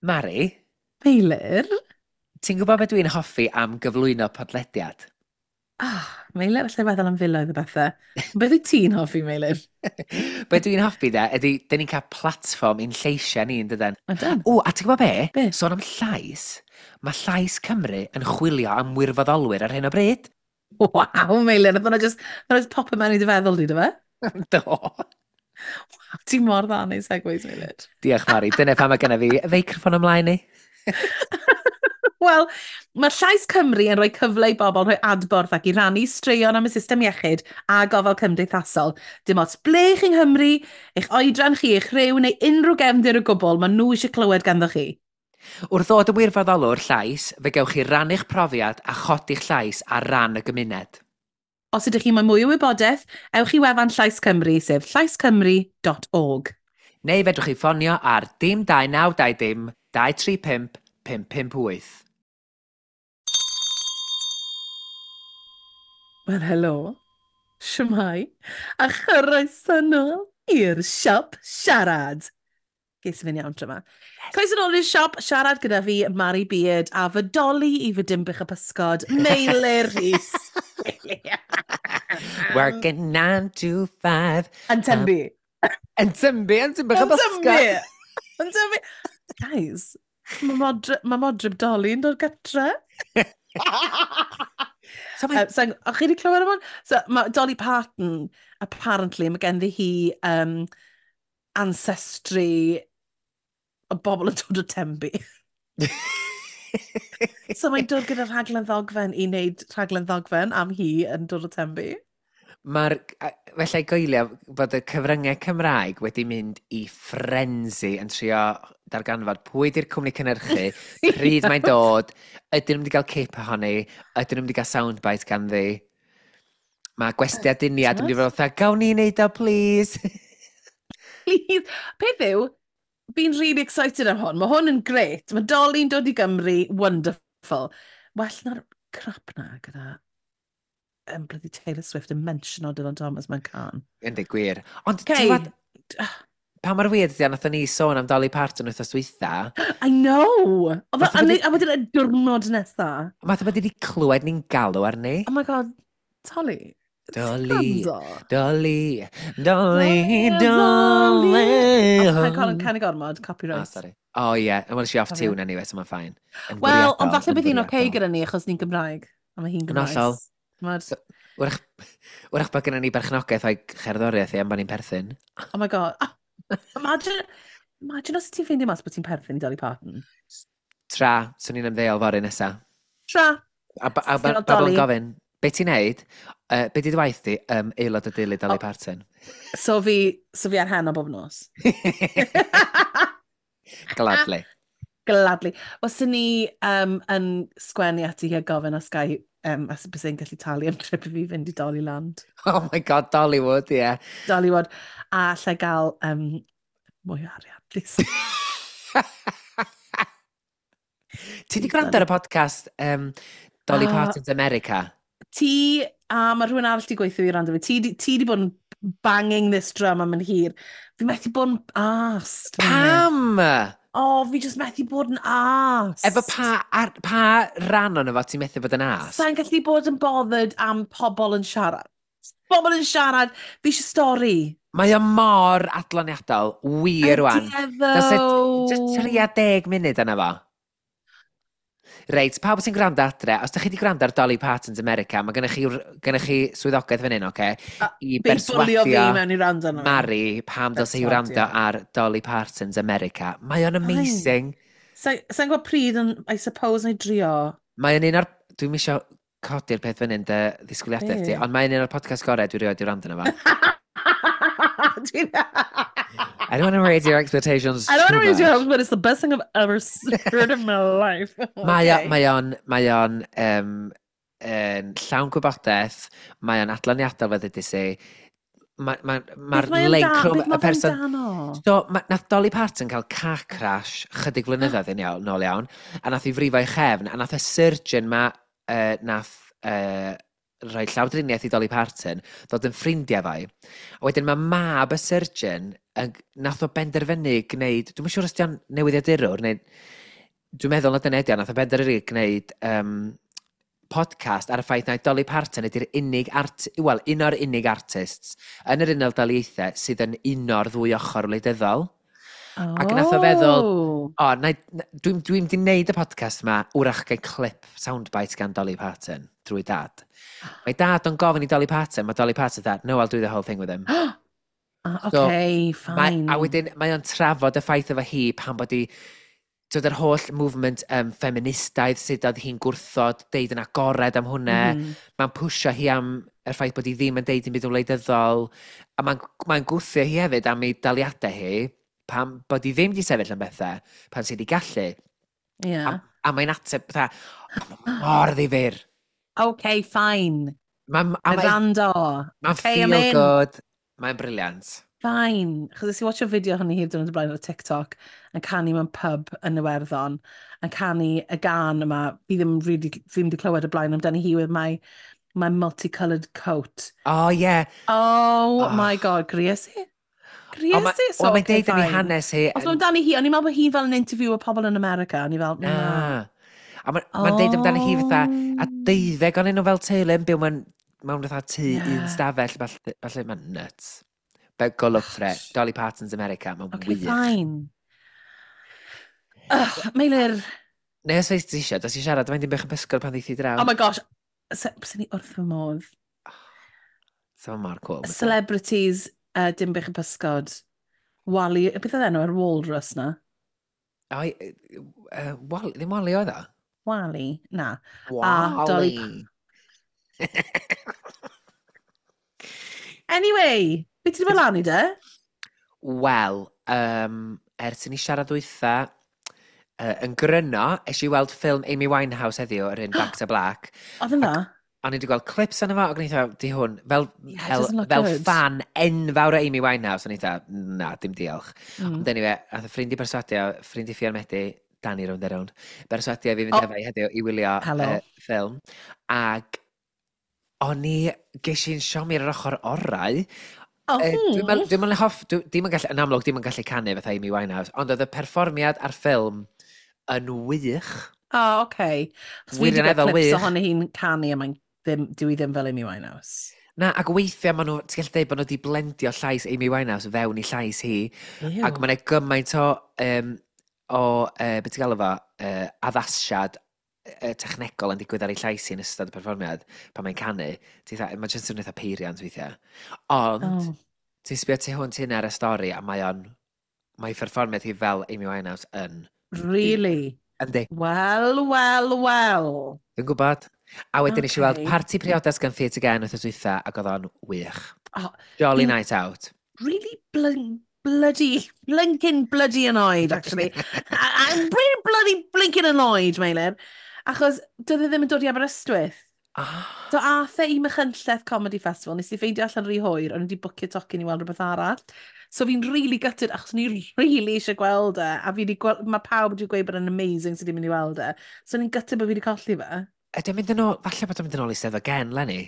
Mari? Meilir? Ti'n gwybod beth dwi'n hoffi am gyflwyno podlediad? Ah, Meilir, allai feddwl am filoedd o bethau. Beth wyt ti'n hoffi, Meilir? Be dwi'n hoffi de, ydy, dyn ni'n cael platfform i'n lleisiau ni, yn dydan? Ydan. O, a ti'n gwybod be? Be? Sôn am llais, mae Llais Cymru yn chwilio am wirfoddolwyr ar hyn o bryd. Waw, Meilir, nath hwnna just, nath hwnna just pop mewn i dy feddwl di, do fe? Do. Waw, ti mor dda yn ei segues, Meilir. Diolch, Mari. Dyna pam mae genna fi feicroffon ymlaen i. Wel, mae Llais Cymru yn rhoi cyfle i bobl rhoi adborth ac i rannu straeon am y system iechyd a gofal cymdeithasol. Dim ots ble chi yng Nghymru, eich oedran chi, eich rhyw neu unrhyw gefndir o gwbl, maen nhw eisiau clywed ganddo chi. Wrth ddod yn wirfoddolwr llais, fe gewch chi rannu'ch profiad a chodi'ch llais ar ran y gymuned. Os ydych chi moyn mwy o wybodaeth, ewch i wefan Llais Cymru, sef llaiscymru.org. Neu fedrwch chi ffonio ar dim 2920 235 558. Wel, helo. Shwmae. A chroeso nôl i'r siop siarad. Ges i fynd iawn tro yma. Croeso nôl i'r siop siarad gyda fi, Mari Beard, a fy doli i fy Dinbych y Pysgod, Meilir Rhys. Working 9 to 5. Yn Tenby. Yn Tenby, yn Dinbych y Pysgod. Yn Tenby. Guys, mae modryb, ma modryb Dolly yn dod gytre. So mae... So, o'ch chi wedi clywed am hwn? So, mae Dolly Parton, apparently, mae genddi hi ancestry o bobl yn dod o Tenby. So mae'n dod gyda rhaglen ddogfen i wneud rhaglen ddogfen am hi yn dod o Tenby. Mae'r... Felly goelio bod y cyfryngau Cymraeg wedi mynd i frenzy yn trio darganfod pwy di'r cwmni cynhyrchu, pryd mae'n dod, ydyn nhw'n mynd i gael cip ohoni, ydyn nhw'n mynd i gael soundbite ganddi. Mae gwesti aduniad yn mynd i fod fatha, gawn ni wneud o, please? Please. Peth yw, fi'n really excited am hwn. Mae hwn yn great. Mae Dolly'n dod i Gymru, wonderful. Well na'r crap na gyda bloody Taylor Swift yn mentiono Dylan Thomas mewn can. Yndi, gwir. Ond ti'n Okay. gwbod, pa mor weird ydi o, nathon ni sôn am Dolly Parton wythnos dwytha. I know! Oedd Fatha bod A wedyn y diwrnod nesa. Fatha bod wedi clywed ni'n galw arni. Oh my God, Dolly. Dolly, Gwrando. Dolly, Dolly, Dolly. Dolly. Oh, paid cael canu gormod, copyright. Oh, sorry. Oh, yeah. Well, she off Cofio. tune anyway, so mae'n fine. Yn Wel, ond fwriadol, falle yn bydd hi'n oce fwriadol. gyda ni achos ni'n Gymraeg. A mae hi'n Yn Gymraeg. hollol. Mae'r... So, wrach bod gennym ni berchnogaeth o'i cherddoriaeth i am bod ni'n perthyn. Oh my God. Ah, imagine os ti'n ffeindio mas bod ti'n perthyn i Dolly Parton. Tra, swn i'n ymddeol fory nesa. Tra. A, a Ti'n bobl yn Dolly. gofyn, be ti'n neud? Be di dy waith di? Aelod o deulu Dolly Oh. Parton. So fi ar heno bob nos. Gladly. Gladly. Wel, sy'n ni yn sgwennu ati hi a gofyn os gai, os bys i'n gallu talu am trip i fi fynd i Dollyland. Oh my God, Dollywood, ie. Yeah. Dollywood. A allai gael mwy o arian, please. Ti di gwrando ar y podcast Dolly Ah. Parton's America? Ti, a mae rhywun arall di gweithio i rando fi, ti di bod yn banging this drum am yn hir. Fi methu bod yn arsed. Pam? O, oh, fi just methu bod yn arsed. Efo pa ran ono fo ti'n methu bod yn as? Sa'n gallu bod yn bothered am pobl yn siarad. Pobl yn siarad, fi eisiau stori. Mae o mor adloniadol, wir rwan. Ydy e Does it- ddo. Just 30 munud yna fo. Reit, pawb sy'n gwrando adre, os da chi wedi gwrando ar Dolly Parton's America, mae gennych chi swyddogaeth fan hyn, oce? I Be bwlio fi berswadio mewn i rando arno fe. Mari pam dylse hi wrando Berswadio. ar Dolly Parton's America. Mae o'n amazing. Sa'n gwybod pryd, yn, I suppose, na i drio. Mae o'n un o'r... Dwi'm isio codi'r peth fan hyn dy ddisgwyliadau ti, Be? ond mae'n un o'r podcast gorau dwi rioed i wrando arno fo. I don't want to raise your expectations I don't too want to raise your much. hopes, but it's the best thing I've ever heard in my life. Mae o, Okay. mae o'n yn llawn gwybodaeth, mae o'n adloniadol fel ddeudais i. Mae'r ma, Beth mae o'n link da- rhwng beth mae y person... fe'n dano? So, nath Dolly Parton cael car crash chydig flynyddoedd yn iawn, nôl iawn, a nath i frifo ei chefn, a nath y surgeon ma, nath rhoi llawdriniaeth i Dolly Parton, ddod yn ffrindiau fai. A wedyn mae mab y surgeon, yn, nath o benderfynu gwneud, dwi'n siŵr os di o'n newyddiadurwr, neu dwi'n meddwl na dyna ydi o, nath o benderfynu gwneud podcast ar y ffaith na Dolly Parton ydy'r unig art, wel, un o'r unig artists yn yr Unol Daleithiau sydd yn uno'r ddwy ochr wleidyddol. Oh. Ac nath o feddwl, o, dwi'n dwi di wneud y podcast ma, wrach gael clip soundbite gan Dolly Parton drwy dad. Mae dad o'n gofyn i Dolly Parton, mae Dolly Parton dad, "No, I'll do the whole thing with him." Ah, okay, fine. A wedyn mae o'n trafod y ffaith efo hi pan bod hi dod yr holl movement feministaidd sydd oedd hi'n gwrthod deud yn agored am hwnna. Mae'n pwysio hi am y ffaith bod hi ddim yn deud dim byd yn wleidyddol. A mae'n mae gwthio hi hefyd am ei daliadau hi pam bod hi ddim wedi sefyll am bethau pan sydd wedi gallu. A mae'n ateb fatha, mor ddifyr. Okay, fine. Mae'n Mae rando. ma Okay, I'm feel in. good. Mae'n brilliant. Fine. Chos nes i watch o fideo hynny hir diwrnod o blaen ar TikTok yn canu mewn pub yn Iwerddon, yn canu y gan yma, fi ddim really, ddim wedi clywed y blaen amdani hi with my multicoloured coat. Oh, yeah. Oh, Oh. my God, gries i. Gries O, i? So, wel, mae'n okay, deud yn ei fine. hanes hi. Os mae'n amdani hi, o'n i'n meddwl bod hi fel yn interview o pobl yn America, o'n i fel, na. Na. A mae'n ma deud amdani hi fatha, a 12 o'n nhw fel teulu yn byw mewn fatha tŷ un stafell, falle mae'n nuts. But go look for it. Dolly Parton's America, mae'n Okay, wych. fine. Ugh, Meilir, Neu os ti eisiau, dos i siarad, mae'n Dinbych y Pysgod pan ddeith i draw. Oh my gosh, sy'n ni wrth fy modd. So mor cool. Byse. Celebrities Dinbych y Pysgod. Wally, beth oedd enw yr walrus na? O, Wally, ddim Wally oedd o? Wally? Na. A Dolly Wally. Anyway, beth ti wedi bod lan i de? Wel, ers i ni siarad dwytha, yn gryno, es i weld ffilm Amy Winehouse heddiw, yr un Back to Black. Oedd yn dda? O'n i wedi gweld clips yna fo, ac o'n i dda, di hwn, fel, Yeah, it fel, doesn't look fel good. fan enfawr o Amy Winehouse, o'n i dda, na, dim diolch. Ond anyway, ath y ffrind i berswadio, ffrind i Ffion Medi, Danny rownd a rownd, berswadio fi fynd Oh. efo i heddiw i wylio Hello. ffilm. Ac o'n i, ges i'n siomi ar yr ochr orau. Oh. Dwi'n meddwl, dwi'n meddwl hoff, dim yn gallu, yn amlwg, dim yn gallu canu fatha Amy Winehouse, ond oedd y perfformiad a'r ffilm yn wych. Oh, okay. Chos fi wedi gweld Wirioneddol clips wych. ohoni hi'n canu a mae'n ddim, dwi ddim fel Amy Winehouse. Na, ac weithiau maen nhw, ti'n gallu dweud bod nhw wedi blendio llais Amy Winehouse fewn i llais hi. Ew. Ac mae'n gymaint o beth ti'n galw fo, addasiad technegol yn digwydd ar ei llais hi yn ystod y perfformiad pan mae'n canu. Mae'n jyst yn eitha peiriant weithiau. Ond, ti'n sbio tu hwnt hynna ar y stori a mae perfformiad hi fel Amy Winehouse yn... Really? Yndi, Wel, wel, wel. dwi'n gwybod. A wedyn okay. Nes i weld Parti Priodas gan Theatr Gen wythnos dwytha ac oedd o'n wych. Oh, Jolly night out. Really bloody, blinking bloody annoyed, actually. I'm really bloody blinking annoyed, Meilir. Achos doedd e ddim yn dod i Aberystwyth. Ah. So ath e i Machynlleth Comedy Festival, nes i ffeindio allan rhy hwyr, o'n i wedi bwcio tocyn i weld rhywbeth arall. So fi'n really gutted, achos o'n i really eisiau gweld e, a fi wedi gweld, mae pawb wedi gweud bod e'n amazing sydd wedi mynd i weld e. So o'n i'n gutted bod fi wedi colli fe. Ydy o'n mynd yn ôl, falle bod o'n mynd yn ôl i Steddfod Gen, Lenny.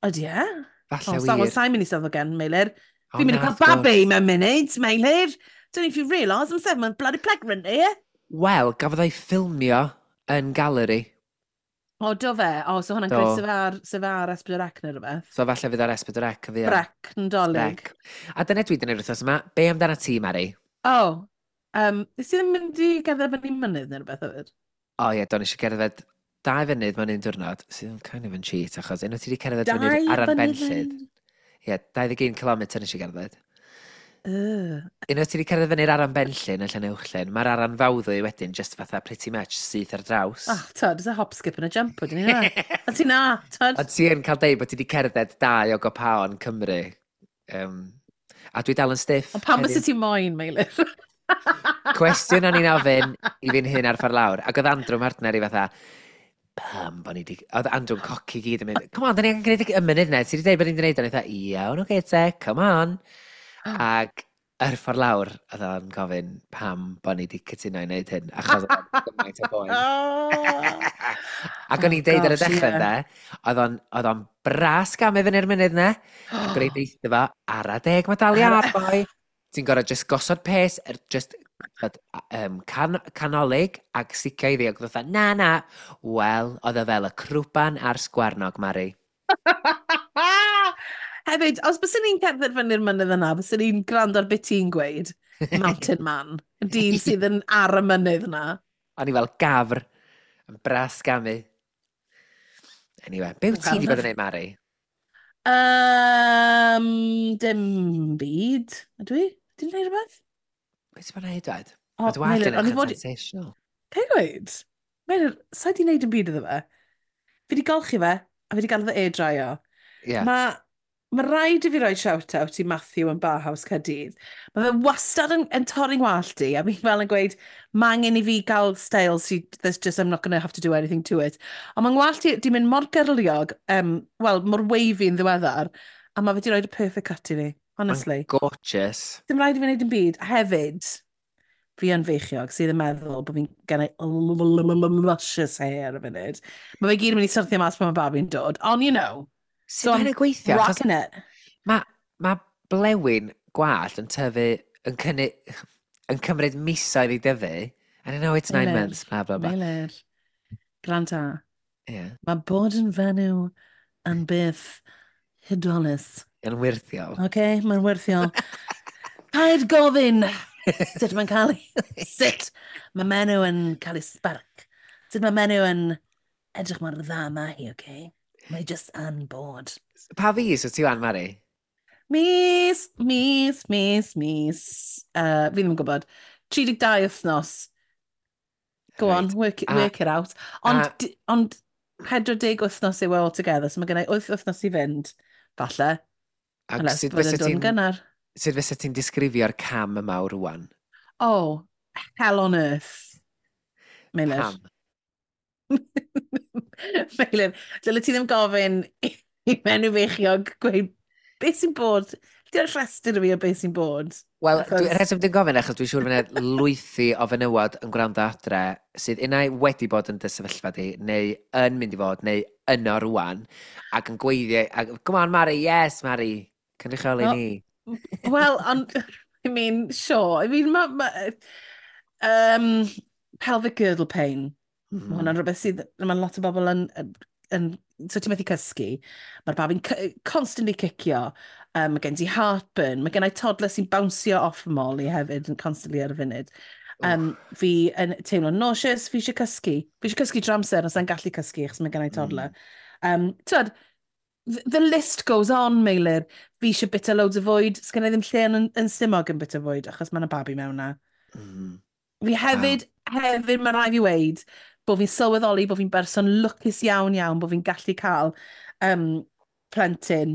Ydy e? Falle Oh, wir. well, sa'n mynd i Steddfod Gen, Meilir. O, Fi'n mynd i na, cael wrth gwrs. babi mewn munud, Meilir. Don't know if you realise, I'm 7 months bloody pregnant here. Wel, gafodd o'i ffilmio yn Galeri. O, do fe? O, so hwnna'n Do. greu sef ar S4C neu rhywbeth. So falle fydd ar S4C yn fuan. Brec, yn dolyg. Brec. A dyna dwi wedi gwneud wythnos yma. Be amdana ti, Mari? O, nes ti ddim mynd i gerdded fyny mynydd neu rhywbeth hefyd? O ie, do, nes i gerdded 2 fynydd mewn un diwrnod, sydd yn kind of yn cheat, achos unwaith ti wedi cerdded Dau fyny'r Aran fynydd Benllyd. Ie, 21 km nes i gerdded. Unwaith ti wedi cerdded fyny'r Aran Benllyn yn Llanuwchllyn, mae'r Aran Fawddwy wedyn just fatha pretty much syth ar draws. Oh, tyd, it's a hop, skip and a jump, wedyn ni na. A ti na, tyd. Ond ti yn cael deud bod ti wedi cerdded dau o gopaon Cymru. A dwi dal yn stiff. Ond pam heddiw. byse ti moyn, Meilir? Cwestiwn o'n i'n ofyn i fi'n hun ar ffordd lawr. Ac oedd Andrew partner i fatha, pam bod ni di... Oedd Andrew'n coci gyd yn mynd, "Come on, da ni angen gwneud y mynydd na, ti wedi dweud bod ni'n gwneud o." O'n i fatha, "Iawn, oce te, come on." Ac Yr ffordd lawr, oedd o'n gofyn pam bod ni wedi cytuno i wneud hyn, achos oedd o'n gymaint o boen. Ac o'n Oh i'n deud ar y gosh, dechrau yeah. ynde, oedd o'n bras gamu fyny'r mynydd ne, ac o'n i'n deitha fo, ara deg mae dal i Ar... ar, boi. Ti'n gorau just gosod pes, just canolig ac sicio iddi, ac oedd na, na. Wel, oedd o fel y crwban a'r sgwarnog, Mari. Hefyd, os byswn ni'n cerdded fyny'r mynydd yna, byswn ni'n gwrando ar beth ti'n gweud, Mountain Man, y dyn sydd yn ar y mynydd yna. O'n i fel gafr, yn bras gamu. Anyway, be wyt ti Wel, wedi bod yn neud, Mari? Dim byd, ydw i? Ti'n gwneud rhywbeth? Be ti'n bod yn neud, dwed? O, Mae dy wallt Meilir, yn o'n i edrych yn fod... sensational. Pe gweud? Meilir, sa i di wneud yn byd iddo fe? Fi di golchi fe, a fi di gael fe air dryo. Yeah. Mae rhaid i fi roi shout-out i Matthew yn Barhouse Caerdydd. Mae fe wastad yn torri'n wallt i, a fi fel yn gweud, mae angen i fi gael style sy, that's just, I'm not going to have to do anything to it. Ond mae'n ngwallt i di mynd mor gyrliog, wel, mor wavy yn ddiweddar, a mae fe di rhoi y perfect cut i fi, honestly. Mae'n gorgeous. Dim rhaid i fi wneud yn byd. A hefyd, fi yn feichiog sydd yn meddwl bod fi'n gen i luscious hair y funud. Mae fe gyd yn mynd i syrthio mas pan mae babi'n dod. Ond, you know, Sut so mae'n I'm gweithio? Achos rocking it. mae blewyn gwallt yn tyfu, yn, cynnu, yn cymryd misoedd i dyfu. And I know it's 9 Meilir, months, blah, blah, blah. Meilir, gwranda. Yeah. Mae bod yn fenyw yn beth hudolus. Yn wirthiol. OK, mae'n werthiol. Paid gofyn sut mae'n cael ei... Sut mae menyw yn cael ei spark. Sut mae menyw yn edrych mor dda ma hi, OK? Mae just yn bod. Pa fis wyt ti wan, Mari? Mis, mis, mis, mis. Fi ddim yn gwybod. 32 wythnos. Go on, work it out. Ond, ond 40 wythnos yw e altogether, so mae gen i 8 wythnos i fynd, falle. Ac Unless sut bod yn fysa dod yn ti'n gynnar. sut fysa ti'n disgrifio'r cam yma o rwan? Oh, hell on earth. Meilir. Pam? Meilir, dyle ti ddim gofyn i menyw feichiog gweud beth sy'n bod. Di'r rhestr i fi o beth sy'n bod. Wel, Achos... rheswm dwi'n gofyn achos dwi'n siŵr fydd yna lwythi o fenywod yn gwrando adre sydd unai wedi bod yn dy sefyllfa di, neu yn mynd i fod, neu yno rwan, ac yn gweithio, ac, come on Mari, yes Mari, cynrychioli Wel, ni. Well, ond, I mean, sure. I mean, ma pelvic girdle pain. Mae hwnna'n rhywbeth sydd, mae lot o bobl yn, so ti'n methu cysgu. Mae'r babi'n constantly cicio. Mae gen ti heartburn. Mae gen i toddler sy'n bounceo off y molly hefyd yn constantly ar y funud. Fi yn teimlo nauseous, fi eisiau cysgu. Fi eisiau cysgu drwy amser, os sa'n gallu cysgu achos mae gen i toddler. T'wod, the list goes on, Meilir. Fi eisiau bita loads o fwyd. Sgen i ddim lle yn stumog yn bita fwyd, achos mae yna babi mewn na. Fi hefyd, mae rhaid fi weud, bod fi'n sylweddoli bod fi'n berson lwcus iawn iawn, bod fi'n gallu cael plentyn,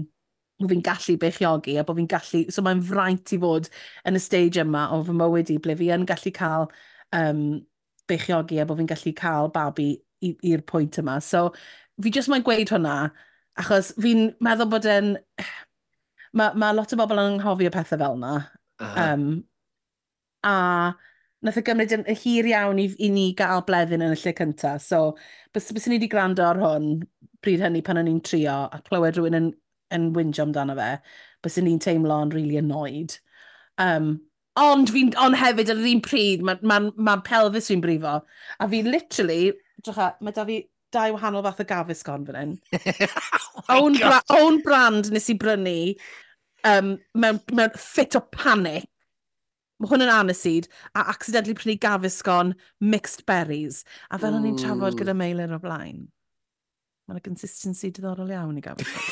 bod fi'n gallu beichiogi a bod fi'n gallu... So mae'n fraint i fod yn y stage yma o fy mywyd i, ble fi yn gallu cael beichiogi a bod fi'n gallu cael babi i'r pwynt yma. So fi jyst moyn gweud hwnna, achos fi'n meddwl bod yn... Mae lot o bobl yn anghofio pethau fel yna. A nath e gymryd yn hir iawn i ni gael Bleddyn yn y lle cyntaf. So, bys ni wedi gwrando ar hwn pryd hynny pan o'n i'n trio a clywed rhywun yn whinjo amdano fe, bys ni'n teimlo'n really annoyed. Ond hefyd ar yr un pryd, mae ma pelvis fi'n brifo. A fi literally, drycha, mae da fi dau wahanol fath o Gaviscon fan hyn. Oh my Own, God. own brand nes i brynu mewn fit o panic. Mae hwn yn aniseed, a accidentally prynu Gaviscon mixed berries. A fel o'n i'n trafod gyda Meilir o blaen, mae'n consistency diddorol iawn i Gaviscon.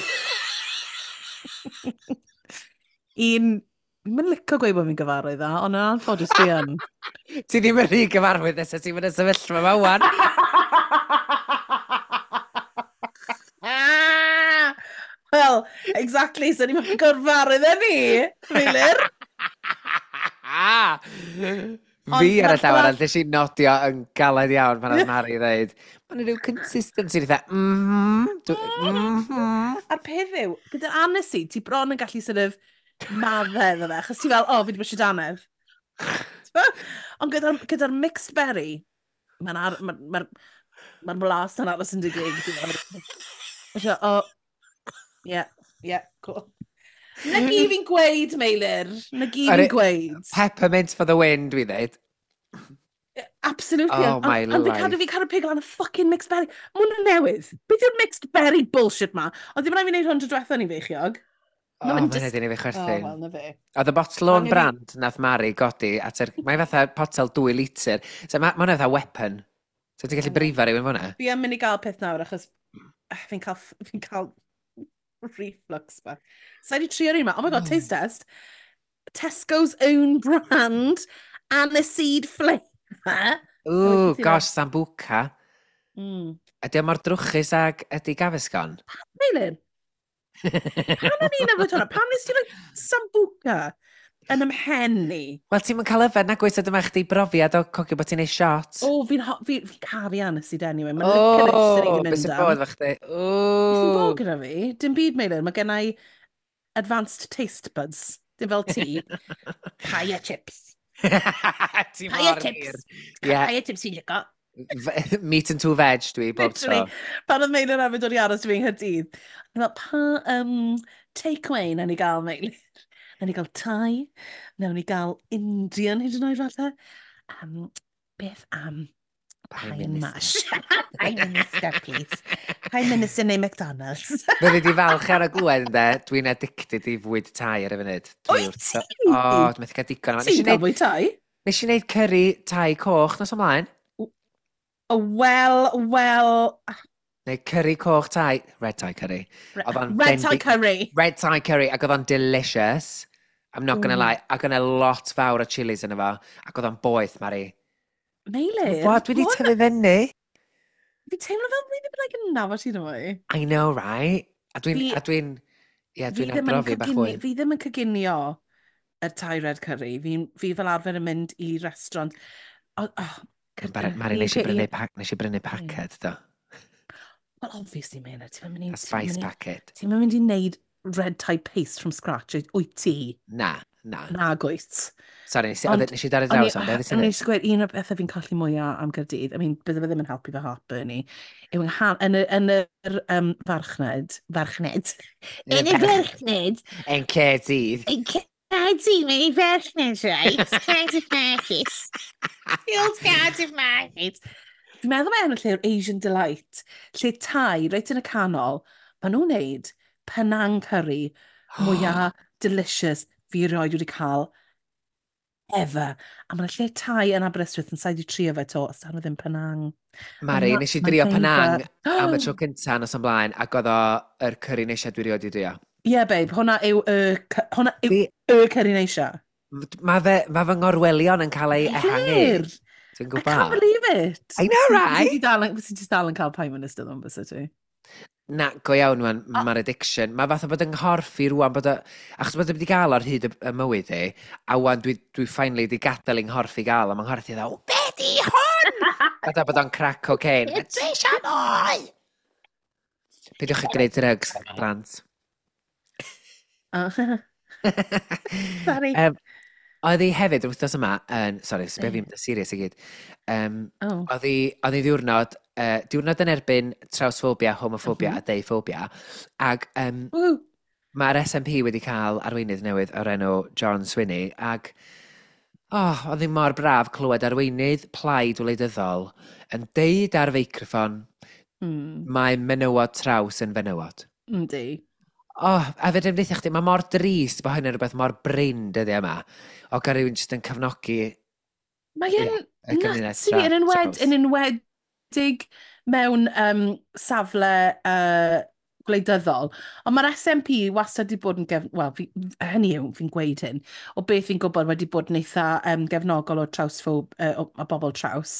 Un, fi'n mynd licio gweud bod fi'n gyfarwydd â, ond yn anffodus dwi yn. Ti ddim yn rhy gyfarwydd nes ti'n mynd y sefyllfa yma wan. Wel, exactly, so ni'n mynd gyfarwydd â ni, Meilir. Ond Fi ar y ma'r llaw arall, nes i nodio yn galed iawn pan oedd Mari dweud, mae'n rhyw consistency, dda, A'r peth yw, gyda'r aniseed, ti bron yn gallu sort of Madde iddo fe, achos ti fel, o, oh, fi wedi brysio dannedd. Ond gyda'r gyda mixed berry, mae'n ar, ma, ma, ma blas yn aros yn dy gig. Ti'n o, yeah, yeah, cool. Na gi fi'n gweud, Meilir. Na gi fi'n gweud. Peppermint for the win, dwi dweud. Absolutely. Oh, my life. Ond fi cadw pig lan y fucking mixed berry. Mae hwnna'n newydd. Beth yw'r mixed berry bullshit ma? Ond ddim rhaid fi wneud hwn tro diwetha ni feichiog. Oh, mae'n just... i fi chwerthin. Oh, well, na fe. Oedd y bottle o'n brand nath Mari godi at yr... Mae fatha potel 2 litr. So, mae hwnna fatha weapon. So ti'n gallu brifo rhywun fyna? Fi yn mynd i gael peth nawr achos fi'n cael, fi cael reflux ba. So i wedi trio'r un yma. Oh my god, taste test. Tesco's own brand, aniseed flavour. Ooh, gosh, sambuca. Ydy o mor drwchus ag ydy Gaviscon? Meilin? Pam o'n i'n yfed hwnna? Pam nes ti roi sambuca yn ymhen ni? Wel, ti'n mynd cael yfed na gweithio dyma chdi brofiad o cogio bod ti'n neud shot. O, fi'n fi, fi caru aniseed anyway. Mae'n licorice sy'n ei mynd am. Beth sy'n bod fo chdi? Beth sy'n bod gyda fi? Dim byd, Meilir. Mae gen i advanced taste buds. Dim fel ti. Pie chips. Ti mor chips. Yeah. Pie chips fi'n licio. Meat and two veg dwi, bob tro. Pan oedd Meilir hefyd dod i aros fi yng Nghaerdydd, o'n i fel, pa takeaway na ni gael, Meilir? Na ni gael Thai, nawn ni gael Indian hyd yn oed falle. Beth am Pie and mash? Prime Minister, please. Prime Minister neu McDonald's. Fyddi di falch ar y glwed, ynde, dwi'n addicted i fwyd Thai ar y funud. Wyt ti? O, dwi'n methu cael digon. Ti'n cael fwyd Thai? Nes i wneud curry Thai coch nos ymlaen. Wel, wel... Neu curry coch Thai. Red Thai curry. Red Thai curry. Red Thai curry, ac oedd o'n delicious. I'm not gonna lie. Ac oedd lot fawr o chilies yn efo. Ac oedd o'n boeth, Mari. Meilir. What? Dwi wedi tyfu fyny. Fi teimlo fel fi ddim yn like yn nabod ti mwy. I know, right? A dwi'n... A dwi'n... Ie, dwi'n arbrofi bach fwy. Fi ddim yn coginio y Thai red curry. Fi, fi fel arfer yn mynd i restaurant. Oh, oh, Mari, nes i brynu, nes i brynu paced, do. Well, obviously, Meilir, ti'n mynd i... A spice packet. Ti'n mynd i wneud red Thai paste from scratch, wyt ti? Na, na. Na, gwyt. Sorry, nes i dar y draws am beth ydyn Nes i gweud, un o'r bethau fi'n colli mwyaf am Gaerdydd, I mean, bydde fe ddim yn helpu fy heartburn i, yw yn yr farchnad, farchnad, yn y farchnad. Yn Caerdydd. Yn Caerdydd, mae'n i farchnad, right? Cardiff Market. The old Cardiff Market. Fi'n meddwl mae enw lle yw'r Asian Delight, lle Thai, reit yn y canol, maen nhw'n neud Penang curry mwyaf delicious fi erioed wedi cael ever. A mae'n lle Thai yn Aberystwyth yn saith i trio fe to, os dan nhw ddim Penang. Mari, nes i drio Penang am y tro cyntaf nos ymlaen, ac oedd o yr curry neisia dwi erioed i drio. Ie, yeah, babe, hwnna yw y, hwnna yw y curry neisia. Mae fe, ma fy ngorwelion yn cael ei ehangu. Dwi'n gwybod. I can't believe it. I know, right? Fysa ti dal yn cael Prime Minister ddo'n fysa ti? Na, go iawn, mae'r ma addiction. Mae fatha bod yng nghorff i rwan bod o... Achos bod o wedi gael ar hyd y mywyd i, a wan dwi finally wedi gadael yng nghorff i gael, a mae nghorff i dda, be di hwn? Fatha bod o'n crack cocaine. Dwi eisiau mwy! Peidiwch chi gwneud drugs, plant. Oh. Sorry. Oedd hi hefyd yr wythnos yma yn... Sorry, sbio fi'n mynd serious i gyd. Oh. Oedd hi ddiwrnod, diwrnod yn erbyn trawsphobia, homophobia a deuphobia. Ac mae'r SNP wedi cael arweinydd newydd o'r enw John Swinney. Ac oh, oedd hi mor braf clywed arweinydd plaid wleidyddol yn deud ar feicroffon mae menywod traws yn fenywod. Yndi. Oh, a fe ddim deutha chdi, mae mor drist bod hynny'n rhywbeth mor brin dyddiau yma. O gael rhywun jyst yn cefnogi Mae e'n nuts i fi, yn enwedig mewn safle gwleidyddol. Ond mae'r SNP wastad wedi bod yn wel, hynny yw, fi'n gweud hyn, o beth fi'n gwybod wedi bod yn eitha gefnogol o trawsffob, o bobl traws.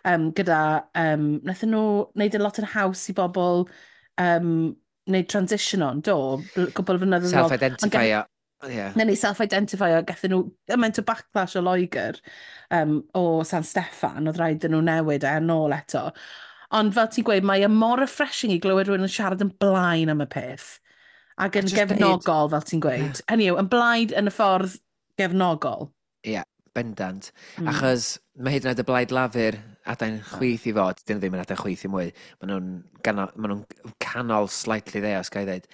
Gyda, wnaethon nhw wneud y lot yn haws i bobl wneud transition on, do, gwbl flynyddoedd yn ôl. Self-identify-o. Yeah. Neu self-identify-o, gathon nhw gymaint o backlash o Loegr o San Steffan, oedd rhaid iddyn nhw newid e yn ôl eto. Ond fel ti'n gweud, mae e mor refreshing i glywed rhywun yn siarad yn blaen am y peth. Ac yn gefnogol, fel ti'n gweud. Yeah. Hynny yw, yn blaid yn y ffordd gefnogol. Ie, yeah, bendant. Achos mae hyd yn oed y blaid Lafur adain chwith i fod, dyn nhw ddim yn adain chwith i mwy. Maen nhw'n ganol, ma nhw canol slightly dde, os ga i ddweud.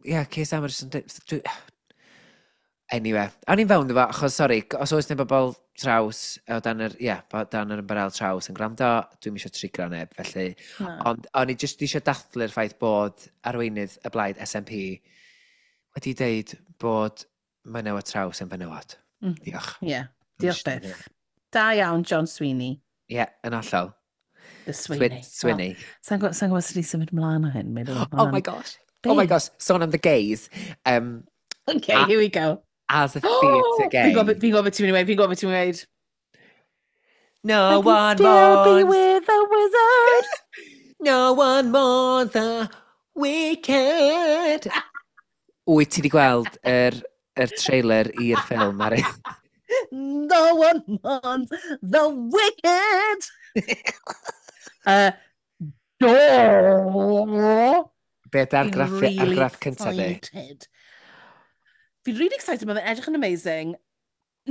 Yeah, Keir Starmer jyst yn dweud. Anyway, o'n i'n fewn efo, achos, sori, os oes neu bobl traws, o dan yr, ie, yeah, dan yr ymbarel traws yn gwrando, dwi'm eisiau trigro neb, felly. Na. Ond o'n i jyst eisiau dathlu'r ffaith bod arweinydd y blaid SNP wedi deud bod menywod traws yn fenywod. Diolch. Ie, yeah. Diolch byth. Da iawn, John Sweeney. Ie, yeah, yn hollol. The Sweeney. Sweeney. Well, sa'n gwybod sa sut i symud mlaen o hyn? Meddwl, Oh my gosh. Oh my gosh, sôn am the gays. Okay, here we go. As a theatre gay. Fi'n gwybod beth ti'n mynd i weud, fi'n gwybod beth ti'n mynd i weud. No I can one still be mourns. with a wizard. No one mourns the wicked. Wyt ti wedi gweld yr trailer i'r ffilm, Mari? No one mourns the wicked. Do. Be ydy argraff, Fi'n really argraff cyntaf di? excited. Fi'n really excited, mae'n edrych yn amazing.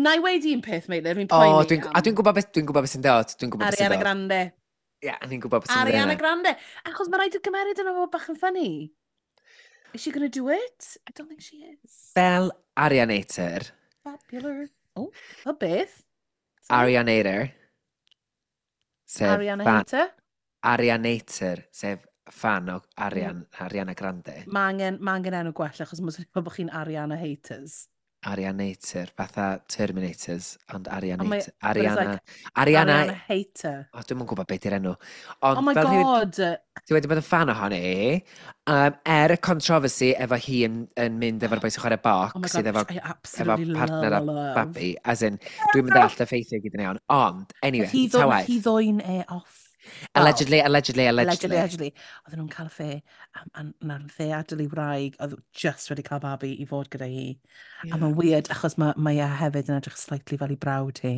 Na i weud un peth, Meilir, fi'n O, poeni dwi'n, a dwi'n gwybod beth, dwi'n gwybod beth sy'n dod. Dwi'n gwybod beth sy'n Ariana dod. Grande. Ie, a ni'n gwybod beth sy'n dod. Ariana Grande. Achos mae rhaid i gymeriad yna fod bach yn funny. Is she going to do it? I don't think she is. Fel Arianator, Popular. Oh, o beth? Sorry? Arianator, sef Ariana fan, Hater. Arianator, sef fan o Ariana Grande. Mae angen enw gwell achos mae'n swnio fel bod chi'n Ariana Haters. Arianator, fatha Terminators, ond Ond mae- Arianator. but it's Ariana, like Ariana, Ariana Hater. o, dwi'm yn gwybod beth yw'r enw. Ond Oh my fel rhywun god. ti wedi bod yn fan ohoni, er y controversy efo hi yn mynd efo'r boi sy'n chwarae box, Oh my god, sydd efo, I efo absolutely partner a love. babi, as in, dwi'n mynd all y ffeithiau gyd yn iawn, ond, anyway, Hi ta waeth. hi ddwyn e off. Allegedly, allegedly, Allegedly, allegedly. allegedly. Oedden nhw'n cael affair, a na'r affair adael ei wraig, oedd just wedi cael babi i fod gyda hi. A Yeah. mae'n weird, achos mae e hefyd yn edrych slightly fel ei brawd hi.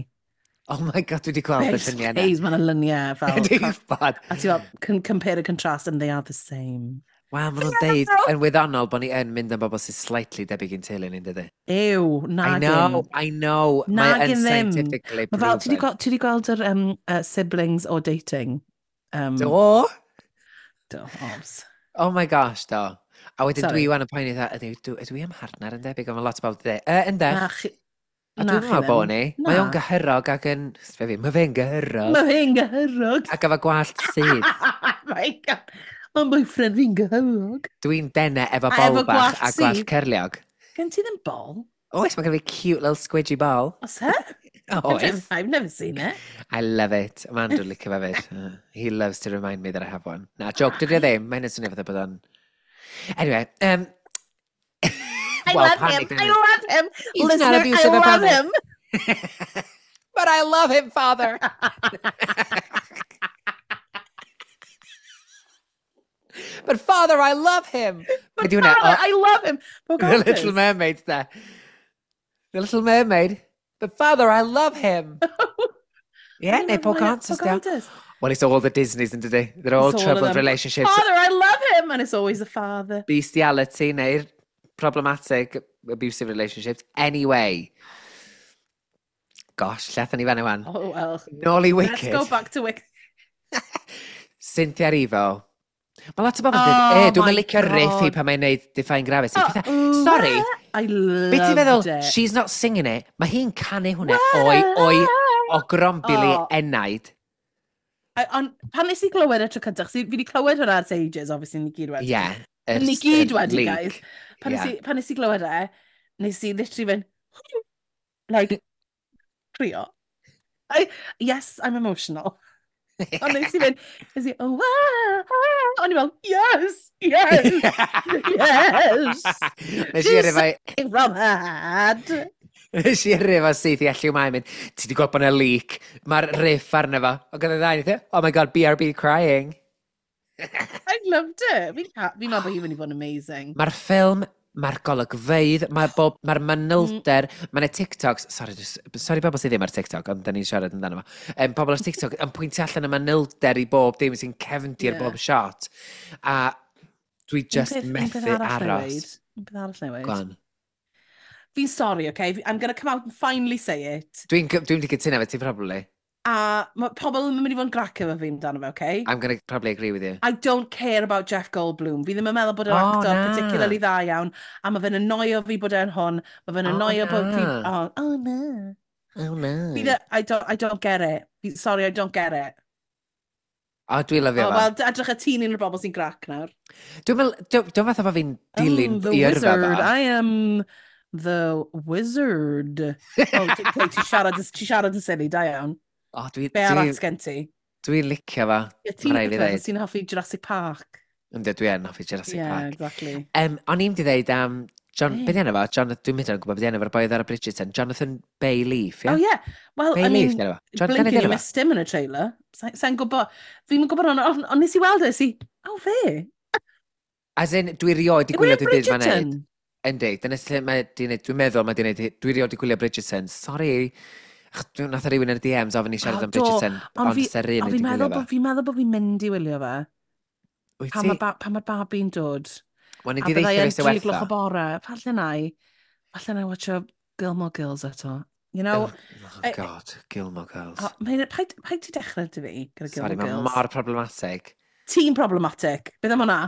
Oh my god, dwi wedi gweld y lluniau yna. Please, mae'n luniau fel. Dwi'n gwybod. A ti fel, compare and contrast, and they are the same. Wel, maen nhw'n deud yn wyddonol bod ni yn mynd am bobl sy'n slightly debyg i'n teulu ni'n dydy. Ew, I nagin. know, I know. Mae Nagin yn ddim. scientifically Mae fel, ti 'di proven. gweld, ti 'di gweld yr siblings or dating? Do? Do, obs. Oh my gosh, do. A wedyn Sorry. dwi wan yn poeni, dda, ydw i am partner yn debyg, ond mae lot o bobl yn dweud, ynde? Na chi... A na dwi'n chi meddwl bod ddim. ni. Mae o'n Na. gyhyrog ac yn... Fe fi, mae fe'n gyhyrog. Mae fe'n gyhyrog. Ac efo gwallt sydd. My God. Mae'n boyfriend fi'n gyhyrog. Dwi'n dene efo A bol efo bach gwallt a gwallt sydd. cyrliog. Gen ti ddim bol? Oes, mae gen fi cute little squidgy ball. Os he? Oes. I've never seen it. I love it. Mae Andrew licio fe fyd. He loves to remind me that I have one. Na, joke, dydy o ddim. Mae'n swnio fatha bod o'n... Anyway, I well, love panic him. I then. love him. He's not Listener, I abusive love about it. him. But I love him, father. But father, I love him. But Be' 'di hwnna? father, I love him. The Little Mermaid, there. The Little Mermaid. But father, I love him. Yeah, neu Pocahontas, yeah. Pocahontas. Well, it's all the Disneys, yn dydi? They're all It's all of troubled them. relationships. Father, I love him. And it's always a father. Bestiality neu'r problematic abusive relationships. Anyway. Gosh, lle athon ni fan wan. Oh, well. Nôl i Let's Wicked. go back to Wicked. Cynthia Erivo. Mae lot o bobl yn dweud, Oh e, dwi'n my licio riff hi God. pan mae'n neud Defying Gravity. Oh, Pethau- ooh, Sorry, I be ti'n loved feddwl? it. She's not singing it. Mae hi'n canu hwnna o'i, o'i, o grombili Oh. enaid. Ond pan nes i glywed y tro cyntaf, fi wedi clywed hwnna ers ages, obviously, ni gyd wedi. Yeah. Ni gyd wedi, leak. guys. Pan, Yeah. nes i glywed e, nes i literally fynd, like, crio. Yes, I'm emotional. Ond nes i fynd, nes i, oh, ah, ah. O'n i fel, yes, yes, yes. Nes i yrru fo- She's from her head. Nes i yrru fo syth i Elliw Mai mynd, ti di gweld bod yna leak, mae'r riff arno fo. Ac oedd y ddau, yn oh my god, BRB crying. I loved it. Fi'n meddwl bod hi'n mynd i fod yn amazing. Mae'r ffilm, mae'r golygfeydd, mae'r bob, mae'r manylder, mm. Mae 'na TikToks, sorry, sorry bobl sydd ddim ar TikTok, ond da ni'n siarad amdano fo. Pobl ar TikTok yn pwyntio allan y manylder i bob dim sy'n cefndir Ie. bob shot. A Dwi just Un peth methu arall na i aros. weud. Un peth arall na i Go weud. on. Fi'n sorry, okay? I'm going to come out and finally say it. Dwi'n di cytuno efo ti, probably. A mae pobl yn mynd i fod yn grac efo fi amdano fe, okay? I'm going to probably agree with you. I don't care about Jeff Goldblum. Fi ddim yn meddwl bod yr Oh, actor na. particularly dda iawn. A mae fe'n annoio fi bod e'n hwn. Mae fe'n Oh, annoio bod fi. na. Oh no. Oh, no. Fi I don't get it. Sorry, I don't get it. O, dwi'n lyfio Oh, fo. wel, edrych y ti'n un o'r bobl sy'n grac nawr. Dwi'n meddwl, dwi'n fatha bod fi'n dilyn The i yrfa wizard. fo. I am the wizard. Oh, okay, ti siarad yn silly, da iawn. O, dwi, Be arall dwi, sgen ti? dwi'n licio fo. Ie, ti'n Ma' raid fi licio ddeud. ti'n hoffi Jurassic Park. Yndw, dwi yn hoffi Jurassic Park. Exactly. O'n i'n di ddeud am John, Be? be di enw fo? John, dwi'n mynd yn gwybod beth di enw fo'r boi oedd ar y Bridgerton. Jonathan Bayleaf, ie? Oh, yeah. Well, I Bayleaf, mean, di enw fo. John, blink dyna and di you enw fo? missed him in y trailer. Sa'n gwybod, fi'n gwybod ond on nes i weld e, si, oh, fe. As in, dwi rioed di Yw gwylio e'n dim byd mae'n neud. Bridgerton? Yndi, dyna lle mae di neud, dwi'n meddwl mae di neud, dwi rioed di gwylio Bridgerton. Sorry. Ach, nath rhywun yn y DMs ofyn i siarad Oh, am do. Bridgerton, Ond ond ser un Ond wedi fi'n gwylio meddwl fo. bod fi'n meddwl bod fi'n mynd i wylio fe. Wyt Pan ti? mae babi'n dod. Wel, ni A di byddai ddeutha yn fi sy'n 3 gloch wertho. o bore. Falle na i watcho Gilmore Girls eto. You know, Oh, God, Gilmore Girls. Oh, paid ti dechrau dy fi gyda Sorry, Gilmore mae Girls. mor problematic. Ti'n problematic. Beth am hwnna?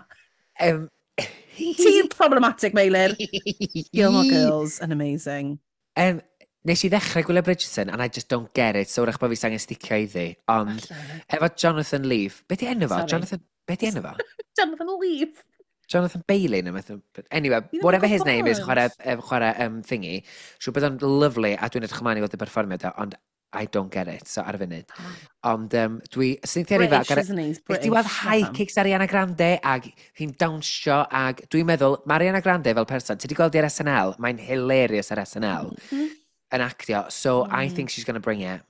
Ti'n problematic, Meilir. Gilmore Girls yn amazing. Nes i ddechrau gwylio Bridgerton, and I just don't get it, so wrach bod fi angen sticio iddi. Ond, Falle. efo Jonathan Leaf, be di enw fo? Sorry. Jonathan, be di enw fo? Jonathan Leaf. Jonathan Bailey neu beth. Anyway, Fi ddim yn whatever his name is, gwybod. chwarae thingy. Siŵr bod o'n lovely, a dwi'n edrych ymlaen i weld y perfformiad o, ond I don't get it, so ar y funud. Ond dwi, Cynthia Erivo, British, isn't he? He's Nes British. ti weld Na high pam. kicks Ariana Grande ag hi'n dawnsio ag dwi'n meddwl, mae Ariana Grande fel person, ti wedi gweld hi ar SNL, mae'n hilarious ar SNL yn actio, so I think she's going to bring it.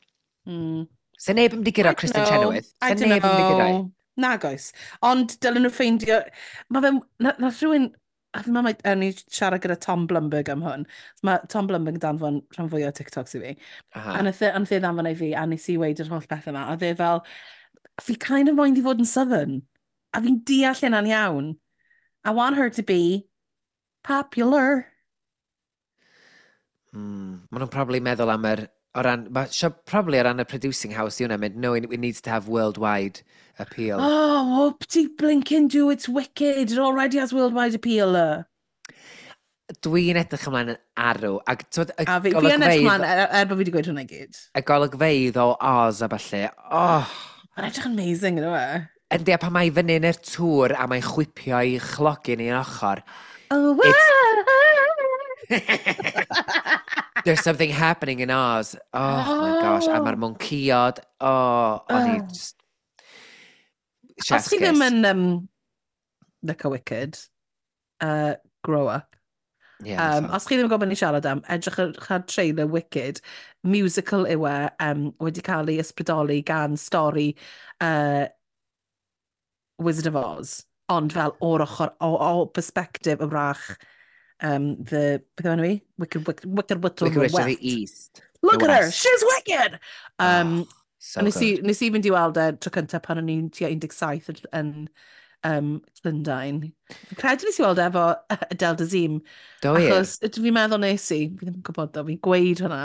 Se neb yn mynd i guro Kristen Chenoweth. I Se don't neb yn mynd i guro. know. Nag oes. Ond dylen nhw ffeindio. Mae fe. Na rhywun. A fi'n meddwl, ni siarad gyda Tom Blumberg am hwn. Mae Tom Blumberg yn danfon rhan fwy o TikToks i fi. Aha. A nath e ddanfon ei fi, a nes i weud yr holl beth yma. A dde fel, fi kind of moyn i fod yn Southern. A fi'n deall hynna'n iawn. I want her to be popular. Maen nhw'n probably meddwl am yr. O ran, ma, sio, probably o ran y producing house i hwnna mynd, no, it needs to have worldwide appeal. Oh, whoop-de blinking do, it's wicked. It already has worldwide appeal. Dwi'n edrych ymlaen yn arw. Ac, twyd, y A fi yn edrych golygfeydd, ymlaen, er bod fi wedi gweud hwnna i gyd. y golygfeydd o Oz a falle, oh. Mae'n edrych yn amazing, yna fe. Yndi, a pan mae i fyny yn yr tŵr a mae'n chwipio i chlogyn i'n ochr. Oh, There's something happening in Oz. Oh, my gosh. A mae'r mwnciod. Oh, o'n i Oh. just. Os Chef's chi ddim kiss. yn licio Wicked, grow up. Yeah, Os chi ddim yn gwybod beth ni'n siarad am, edrych ar trailer Wicked, musical yw e, wedi cael ei ysbrydoli gan stori Wizard of Oz, ond fel o'r ochr, o perspective y wrach, the, beth yw enw i? Wicked, Wicked, Wicked Witch of Wicked the Witch of the West. East. Look The at her, West. she's wicked! Oh, so A nes i, good. nes i fynd i weld e tro cyntaf pan o'n i'n tua 17 yn Llundain. Fi'n credu nes i weld e efo Adele Dazeem. Do wir? Achos fi'n meddwl nes i, fi ddim yn gwybod ddo, fi'n gweud hwnna.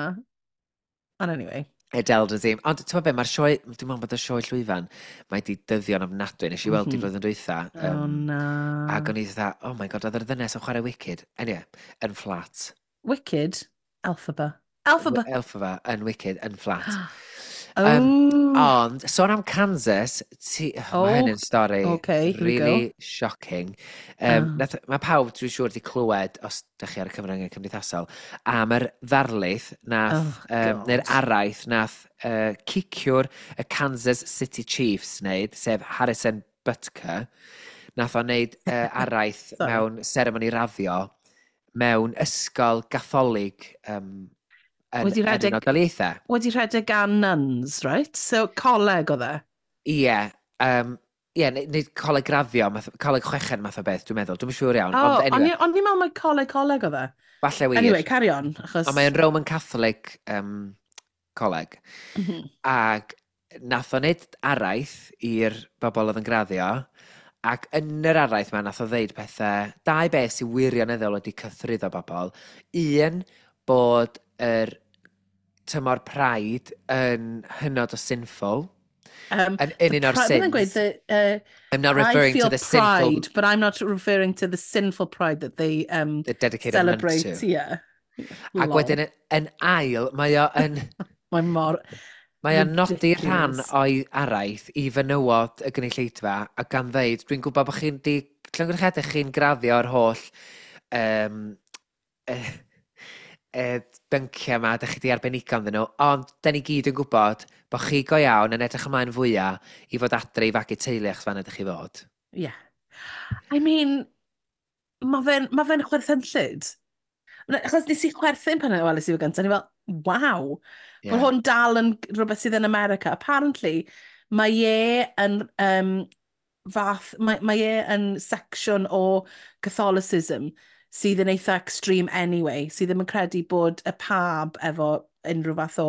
Ond anyway. Adele Dazeem. Ond ti'n gwybod be, mae'r sioe, dwi'n meddwl bod y sioe llwyfan, mae di dyddio'n ofnadwy. Nes i weld i flwyddyn dwytha. Oh na. Ac o'n i dda, oh my God, oedd yr ddynes yn chwarae Wicked. Anyway, yn flat. Wicked, Elphaba. Elphaba. Elphaba yn Wicked, yn flat. Oh. Ond, sôn am Kansas, ti, oh, mae hyn yn stori okay, here we really shocking. Um, Oh. Nath, mae pawb, dwi'n siŵr, wedi clywed, os ydych chi ar y cyfryngau cymdeithasol, am yr ddarlith nath, Oh, neu'r God. araith nath ciciwr y Kansas City Chiefs wneud, sef Harrison Butker, nath o wneud araith Sorry. mewn seremoni raddio mewn ysgol gatholig yn, Wedi yn rhedeg Unol Daleithiau. Wedi rhedeg gan nuns, right? So, coleg oedd e. Ie, ie, neu coleg graddio, math, coleg chweched math o beth, dwi'n meddwl. Dwi'n siŵr iawn. Oh, ond anyway, o'n i'n meddwl mai coleg oedd e. Falle wir. Anyway, carry on, achos. Ond mae'n Roman Catholic coleg. Ac nath o wneud araith i'r bobl oedd yn graddio, Ac yn yr araith ma, nath o ddeud pethau, dau beth sy'n wirioneddol wedi cythruddo bobl. Un, bod yr tymor Pride yn hynod o sinful. Yn The un o'r beth yn gweud, sins. the, I'm not I referring to feel the sinful pride, but I'm not referring to the sinful pride that they they dedicate a month celebrate. to. Yeah. Ac Lol. wedyn yn ail, Mae mor mae o'n nodi rhan ridiculous. o'i araith i fenywod y gynulleidfa a gan ddeud, dwi'n gwybod bod chi'n di, llongyfarchiadau chi'n graddio'r holl bynciau yma, dych chi di arbenigo ynddyn nhw, ond da ni gyd yn gwybod bod chi go iawn yn edrych ymlaen fwyaf i fod adre i fagu teulu achos fan ydych chi fod. Yeah. I mean, ma fe chwerthinllyd. Achos nes i chwerthin pan weles i fe gyntaf, ni fel, waw, bod hwn dal yn rhywbeth sydd yn America. Apparently, mae e yn fath, mae e yn section o Catholicism sydd yn eitha extreme anyway, sydd ddim yn credu bod y pab efo unrhyw fath o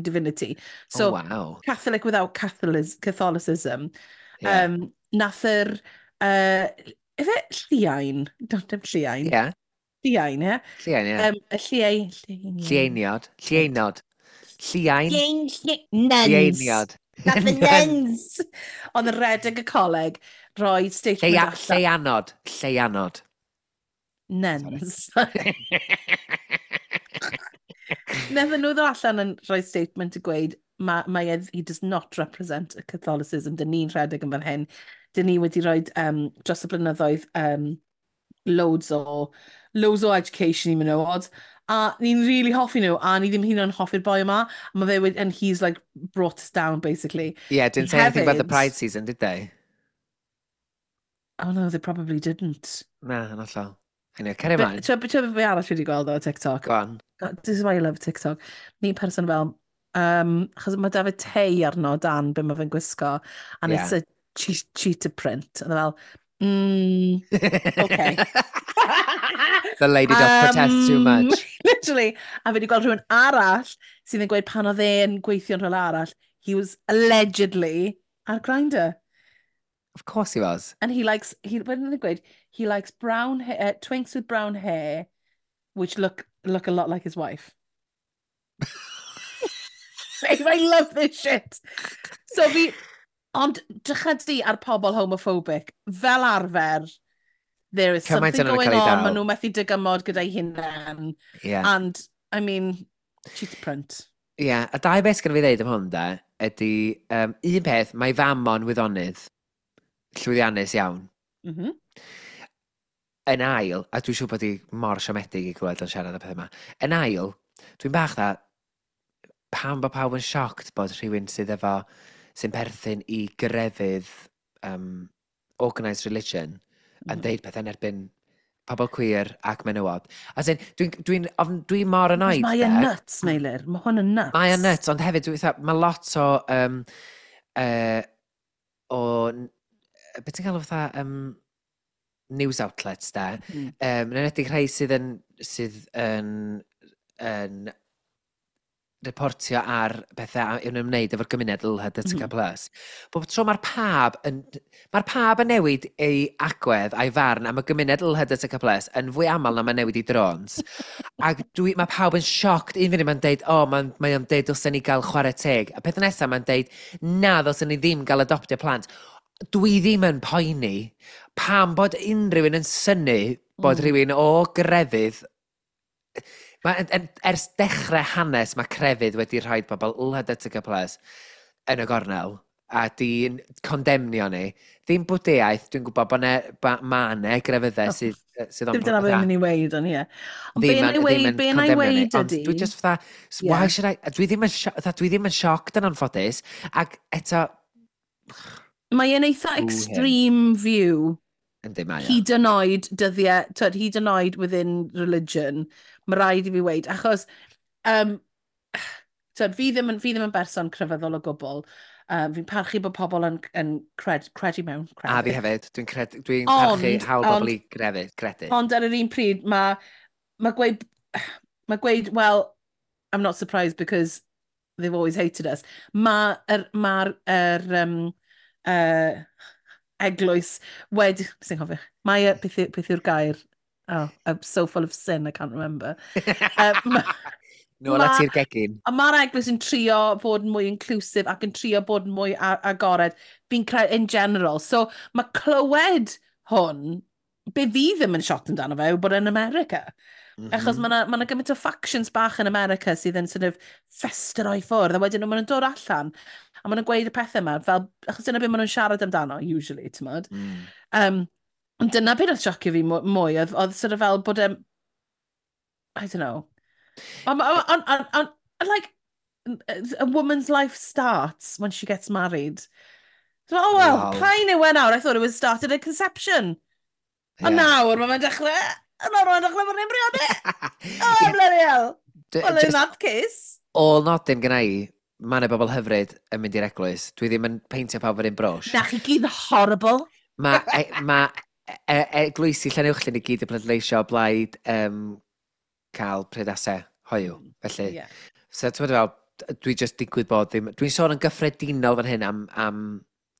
divinity. So, oh, wow. Catholic without Catholicism. Nath yr... Ife lliain? Don't dim lliain. Lliain, ie? Lliain, ie. Y lliai... Llieiniod. Llieinod. Lliain. Lliain... Nuns. Llieiniod. Nath y nuns! Oedd yn redeg y coleg rhoi statement allan. Lleianod. Lleianod. Nuns. Nethon nhw ddod allan yn rhoi statement i gweud mae e, he does not represent a Catholicism. Dyn ni'n rhedeg yn fan hyn. Dyn ni wedi rhoi dros y blynyddoedd loads o education i menywod. A ni'n really hoffi nhw, a ni ddim hyd yn oed yn hoffi'r boi yma. A mae fe wedi, and he's like brought us down, basically. Yeah, didn't say anything about the Hefyd- Pride season, did they? Oh no, they probably didn't. Na, yn hollol. Anyway, carry ymlaen. Ti'n gwybod be arall wedi gweld o TikTok? Go on. God, this is why I love TikTok. Ni person fel, achos mae David Tei arno dan be mae fe'n gwisgo, and it's a cheetah print. And fel, okay. The lady doth protest too much. Literally. A fi wedi gweld rhywun arall sydd yn gweud pan oedd e'n gweithio'n rhywle arall, he was allegedly ar Grindr. Of course he was. And he likes, what did they gweud? He likes brown hair, twinks with brown hair, which look a lot like his wife. I love this shit. So fi, ond drycha di ar pobl homophobic, fel arfer, there is Cymaint something o'n nhw'n going cael ei on, dal. maen nhw methu dygymod gyda'i hunain. And, I mean, cheetah print. Yeah, a dau beth sgan fi ddeud am hwn, da, ydy, un peth, mae fam o'n wyddonydd, llwyddiannus iawn. Yn ail, a dwi'n siŵr bod hi mor siomedig i glywed o'n siarad y peth yma, yn ail, dwi'n bach dda, pam bod pawb yn shocked bod rhywun sydd efo, sy'n perthyn i grefydd organised religion yn deud pethau yn erbyn pobl queer ac menywod. As in, dwi mor annoyed. Mae e'n de. nuts, Meilir. Mae hwn yn nuts. Mae o'n nuts, ond hefyd, mae lot o, beth ti'n galw fatha, news outlets, de. Yn enwedig rhai sydd yn reportio ar bethau yn ymwneud efo'r gymuned LHDTC+. Bob tro mae'r pab yn newid ei agwedd a'i farn am y gymuned LHDTC+, yn fwy aml na mae'n newid i drones. Ac mae pawb yn shocked. Un funud mae'n deud, o, oh, mae o'n deud dylsen ni gael chwarae teg. A peth nesaf mae'n deud, na, ddylsen ni ddim gael adoptio plant. Dwi ddim yn poeni pam bod unrhyw un yn synnu bod rhywun o grefydd. Mae, ers dechrau hanes mae crefydd wedi rhoi pobl LHDTC+ yn y gornel a di'n condemnio ni. Ddim bwdiaeth, dwi'n gwybod bod ne, ma ne grefyddau sydd o'n Dim dyna beth mynd i weud, ond ie. Ond be ddim na yn, i ddim weud, yn be na i condemnio ni. weud Ond ydi... dwi just fatha, why should I, fatha, dwi ddim yn shocked yn anffodus, ac eto, Mae e'n eitha Boo him. extreme view. Yndi mae o. Hyd yn oed dyddiau, twyd, hyd yn oed within religion, mae rhaid i fi weud, achos, twyd, fi ddim yn berson crefyddol o gwbl. Fi'n parchu bod pobl yn credu mewn A fi crefydd. hefyd, dwi'n parchu hawl bobl i grefydd, credu. Ond ar yr un pryd, mae gweud, "Well, I'm not surprised because they've always hated us." Mae'r ma yr, eglwys wedi... Sy'n cofio? Mae, beth yw'r gair? Oh, I'm so full of sin, I can't remember. Nôl at i'r gegin. A mae'r eglwys yn trio bod yn mwy inclusive ac yn trio bod yn mwy agored. Fi'n credu in general. So mae clywed hwn, be fi ddim yn shot amdano fe, yw bod yn America. Achos mae 'na gymaint o factions bach yn America sydd yn sort of festero i ffwrdd, a wedyn maen nhw'n dod allan, a maen nhw'n gweud y pethau yma, fel, achos dyna beth maen nhw'n siarad amdano, usually, ti'n modd. Ond dyna beth oedd siocio fi mwy, oedd sort of fel bod I don't know. On, like, a woman's life starts when she gets married. So, oh well, pa'n yw e nawr? I thought it was started at conception. Ond nawr, mae'n dechrau, nawr mae'n dechrau bod yn briodi. Oh, bloody hell. Well, in that case. Ôl nodyn gyna i, mae yna bobl hyfryd yn mynd i'r eglwys. Dwi ddim yn peintio pawb yr un brwsh. Na, chi gyd horrible. Mae eglwysi Llanuwchllyn i gyd yn pleidleisio o blaid cael priodasau hoiw. Felly, so ti'n meddwl fel, dwi just digwydd bod ddim. Dwi'n sôn yn gyffredinol fan hyn am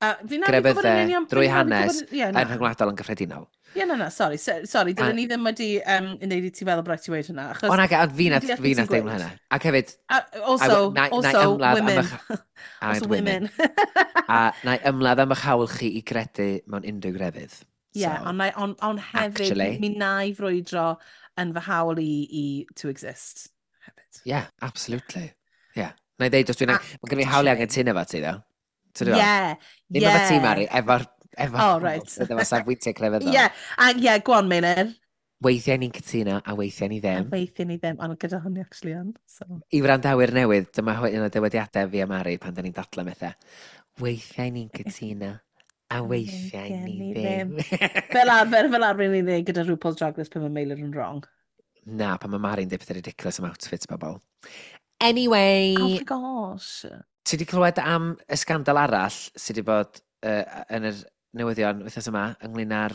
grefyddau drwy hanes yn rhyngwladol yn gyffredinol. Ie, na, sorry, sorry, dylen ni ddim wedi wneud i ti feddwl bod rhaid ti weud hwnna. Achos O na, fi nath deimlo hynna. Ac hefyd, Also, also women. Also women. A na i ymladd am eich hawl chi i gredu mewn unrhyw grefydd. Ie, yeah, so, on hefyd, actually, mi na i frwydro yn fy hawl i to exist. Hefyd. Yeah, absolutely. Yeah. Na i ddeud, os dwi'n... Mae gen i hawl i angen efo ti, ddo. Ie, Ddim efo ti, Mari, efo Oh, right. Efo safbwyntiau crefyddol. Ie, a ie, go on, Meinir. Weithiau ni'n cytuno a weithiau ni ddim. A weithiau ni ddim, ond gyda hynny actually yn. So. I wrandawyr newydd, dyma un o dywediadau fi a Mari pan da ni'n dadlau methau. Weithiau ni'n cytuno a weithiau ni ddim. Fel arfer ni'n dweud gyda RuPaul's Drag Race pan mae Meilir yn wrong. Na, pan mae Mari'n dweud pethau ridiculous am outfits bobl. Anyway. Oh my gosh. Ti wedi clywed am y sgandal arall sydd wedi bod yn yr newyddion wythnos yma ynglyn â'r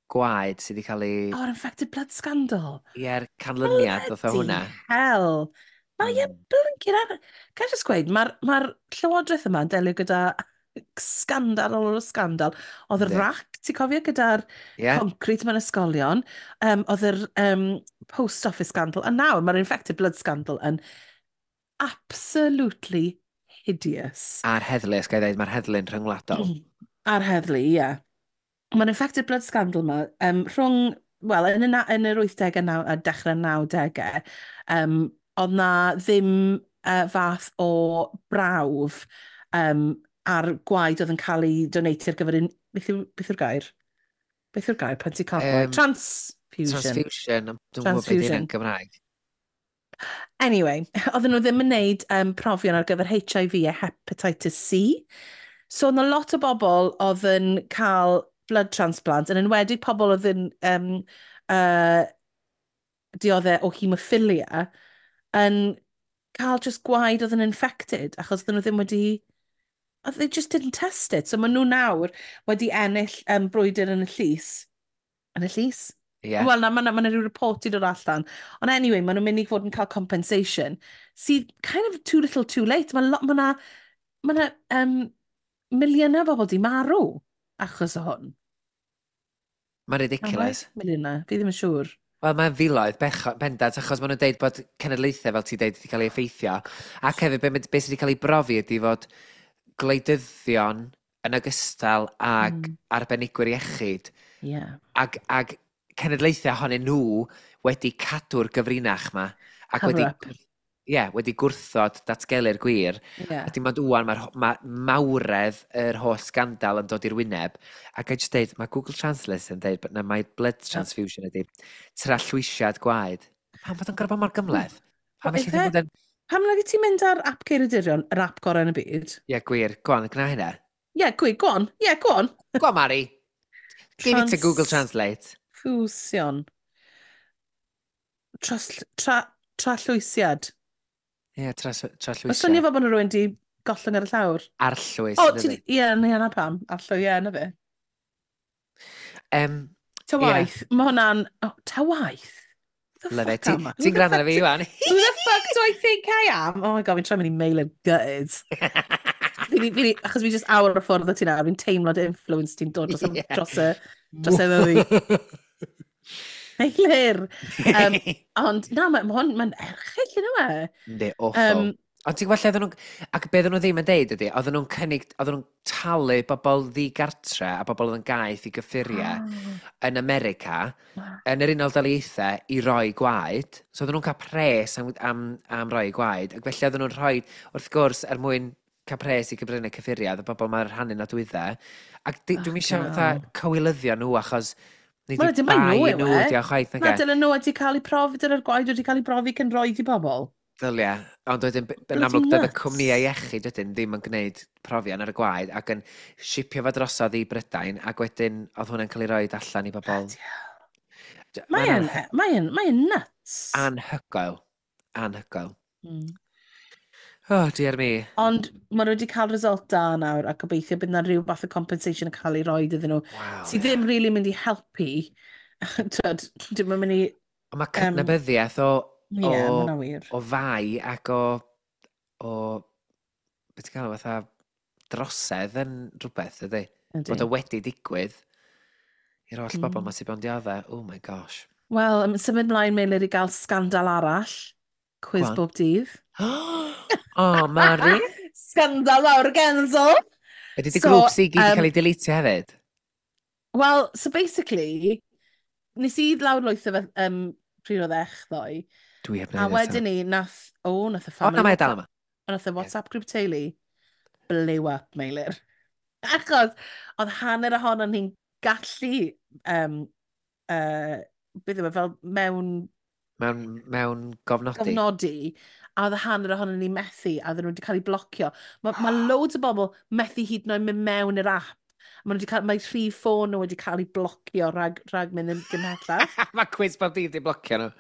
gwaed sydd wedi cael ei Oh, infected blood scandal. Ie'r canlyniad oedd o hwnna. Hell. Mae blinking ar. Can I just gweud, mae'r llywodraeth yma yn delio gyda sgandal ar ôl sgandal. Oedd y RAAC, ti'n cofio, gyda'r concrete mewn ysgolion. Oedd yr post office scandal. A nawr mae'r infected blood scandal yn absolutely hideous. A'r heddlu, os ga i ddeud, mae'r heddlu'n rhyngwladol. A'r heddlu, ie. Yeah. Mae'r infected blood scandal yma, rhwng, wel, yn yr 80au a dechrau 90au, oedd na ddim fath o brawf ar gwaed oedd yn cael ei donatio ar gyfer un. Beth yw'r gair? Beth yw'r gair pan ti'n cael gwaed? Transfusion. Transfusion. Dwi'n gwybod beth yw'n Gymraeg. Anyway, oedden nhw ddim yn neud profion ar gyfer HIV a hepatitis C. So, oedd lot o bobl oedd yn cael blood transplant, yn enwedig pobl oedd yn dioddef o hemophilia, yn cael just gwaed oedd yn infected, achos oedden nhw ddim wedi. They just didn't test it. So maen nhw nawr wedi ennill brwydr yn y llys. Yn y llys? Yeah. Wel, na, mae yna rhyw report i dod allan. Ond anyway, maen nhw'n mynd i fod yn cael compensation. Sydd kind of too little too late. Mae ma na, ma na miliynau o bobl di marw achos o hwn. Mae'n ridiculous. Miliynau, fi ddim yn siŵr. Wel, mae'n filoedd bendant, achos maen nhw'n deud bod cenedlaethau, fel ti'n deud, wedi cael ei effeithio. Ac hefyd, be sydd wedi cael ei brofi ydy fod gwleidyddion yn ogystal ag arbenigwyr iechyd ag cenedlaethau ohonyn nhw wedi cadw'r gyfrinach ma. Ac Cover wedi, up. Yeah, wedi gwrthod datgelu'r gwir. A dim ond wan mae'r ma mawredd yr holl sgandal yn dod i'r wyneb. Ac I just deud, mae Google Translate yn deud na mae blood transfusion ydy trallwysiad gwaed. Pam fod o'n gorfod bod mor gymhleth? Pam Wel, felly ddim ife? bod yn? Pam nag ti mynd ar app Ceiriadurion, yr app gorau yn y byd? Ie, gwir. Go on, gwna hynna. Ie, yeah, gwir, go on. Ie, yeah, go on. Go on, Mari. Give it to Google Translate. Transfusion. Trallwysiad. Ie, yeah, Mae swnio trallwysiad. fel bod yna rhywun di gollwng ar y llawr. Arllwys. O, yndydi? ti... Ie, yeah, na pam. Arllwy, ie, na fe. Ta waith, mae hwnna'n. Oh, ta waith? The Love it. fuck am I? Ti'n gwrando ar fi, Iwan? Who the fuck do I think I am? Oh my God, fi'n trying mynd i mail yn gutted. Fi, achos fi just awr o ffwrdd o ti nawr, fi'n teimlo dy influence ti'n dod dros, yeah. dros y fi. Meilir! Ond na, mae hwn, mae'n erchyll yn yma. Yndi, awful. Ond ti'n gweld lle oedden nhw'n... Ac be oedden nhw ddim yn deud ydy, oedden nhw'n cynnig, oedden nhw'n talu bobl ddigartre a bobl oedd yn gaeth i gyffuriau yn America, yn yr Unol Daleithiau, i roi gwaed. So oedden nhw'n cael pres am roi gwaed. Ac felly oedden nhw'n rhoi, wrth gwrs, er mwyn cael pres i gybrynu cyffuriau, oedd y bobl ma'n rhannu nodwyddau. Ac dwi'n eisiau Fucking fatha hell. cywilyddio nhw achos nid Wel, i dim bai bai nhw yw nhw e. ydi o chwaith, Na, nage? dylen nhw wedi cael eu profi, dyle'r gwaed wedi cael ei brofi cyn rhoi i bobl. Dylia, ond wedyn, yn Bloody amlwg, doedd y nuts. cwmnïau iechyd wedyn ddim yn gwneud profion ar y gwaed ac yn shipio fo drosodd i Brydain ac wedyn oedd hwnna'n cael ei roed allan i bobl. Bloody hell. Mae'n Mae'n nuts. anhygoel. Anhygoel. Oh, dear me. Ond maen nhw wedi cael result da nawr a gobeithio bydd yna rhyw fath o compensation yn cael ei roed iddyn nhw. Sydd ddim really mynd i helpu. Tyd, dim yn mynd i. Ond mae cydnabyddiaeth o, Ie, yeah, o, mae'n wir. o fai ac o beth ti'n cael fatha drosedd yn rhywbeth, ydy? Ydy. Bod o wedi digwydd i'r holl bobl ma sy'n bod yn dioddef. Oh my gosh. Wel, symud mlaen, Meilir, i gael sgandal arall. Cwiz Go on. bob dydd. Oh, Mari. Sgandal mawr genzo! Ydy dy So, grŵps i gyd wedi yym, cael ei deletio hefyd? Wel, so basically, nes i lawrlwytho fe pryd oedd ech ddoe. Dwi heb A wneud eto. wedyn ni, nath y O, family na, mae e dal yma. Nath y WhatsApp grŵp teulu blew up, Meilir. Achos oedd hanner ohonon ni'n gallu, beth yw e, fel mewn Mewn gofnodi. gofnodi, a oedd hanner ohonon ni methu, a oedden nhw wedi cael eu blocio. Mae loads o bobl methu hyd yn oed mynd mewn i'r app. Ma nhw wedi cael, mae rhif ffôn nhw wedi cael eu blocio rhag mynd yn gymhellach. Mae Cwis Bob Dydd wedi blocio nhw.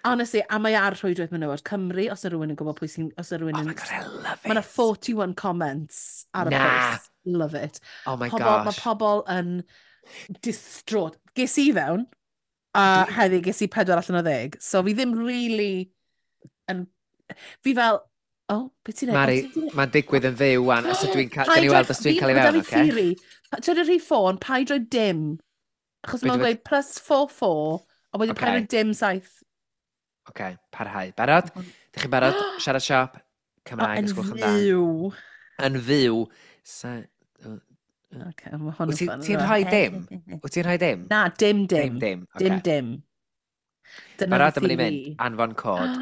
Honestly, a mae ar rhwydwaith menywod Cymru, os yw rhywun yn gwybod pwy sy'n. Os yw rhywun Oh yn my God, I love it. Mae yna 41 comments ar y Na. post. Love it. Oh my Pobl, mae gosh. pobl yn distraught. Ges i fewn, a heddi ges i 4 allan o 10. So fi ddim really yn. Fi fel, oh, beth ti'n neud? Mari, O, ti'n neud? mae'n digwydd yn fyw wan, os ydw i'n cael, Paid gawn ni rhoi- weld os dwi'n cael ei ma' 'da fewn, fi oce? theory. Ti'n rhoi ffôn, paid rhoi dim. Achos Be' mae'n dwi gweud +44, a wedyn paid Ocê. rhoi dim 7. Oce, parhau. Barod? Dych chi'n barod? Siarad siop, Cymraeg, Yn os gwelwch yn dda. fyw. Yn fyw. Okay, mae hwn yn Wyt fun. ti'n rhoi dim? Wyt ti'n rhoi dim? Na, dim dim. Dim, dim. Dim Oce. dim. Dyna Barod, fy dyma ni'n mynd. theori. Anfon cod.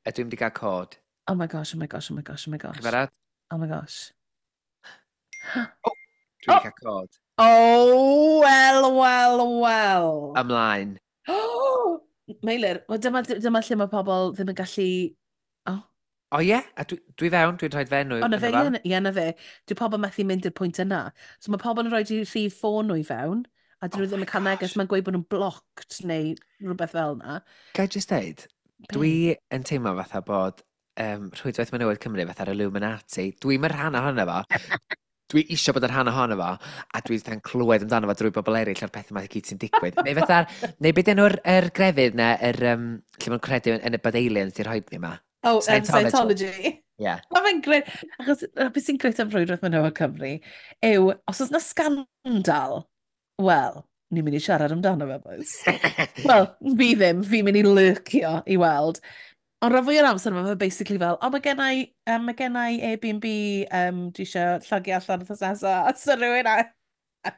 Ydw i'n mynd i gael cod. Oh my gosh, oh my gosh, oh my gosh, oh my Chi'n gosh. barod? Oh my gosh. Dwi wedi cael cod. Oh, well, well, well. Ymlaen. Oh, Meilir, wel dyma lle mae pobl ddim yn gallu. Oh, O ie, a dwi fewn, dwi'n rhoi fe enw. o na ynddo fe, fo. ie, na fe. Dwi pobl methu mynd i'r pwynt yna. So mae pobl yn rhoi rhif ffôn nhw i fewn, a dyn Oh nhw ddim my yn cael neges, gosh. mae'n gweud bod nhw'n blocked neu rhywbeth fel yna. Ga i just deud, dwi yn teimlo fatha bod Rhwydwaith Menywod Cymru fatha'r Illuminati. Dwi'm yn rhan ohono fo. Dwi eisiau bod yn rhan ohono fo, a dwi fatha'n clywed amdano fo drwy bobl eraill o'r pethau yma i gyd sy'n digwydd. Neu fatha'r, neu beth enw'r er grefydd na, yr, lle ma'n credu yn y bod aliens di rhoi ni yma. Oh, Scientology. Scientology. Yeah. Mae fe'n grêt, achos beth sy'n grêt am Rhwydwaith Menywod Cymru yw, os oes na sgandal, wel, ni'n mynd i siarad amdano fe, boys. Wel, fi ddim, fi'n mynd i lurkio i weld. Ond rhan fwy o'r amser mae fe basically fel, o, mae gennai Airbnb, dwi eisiau llogi allan wythnos nesaf, a so rhywun a.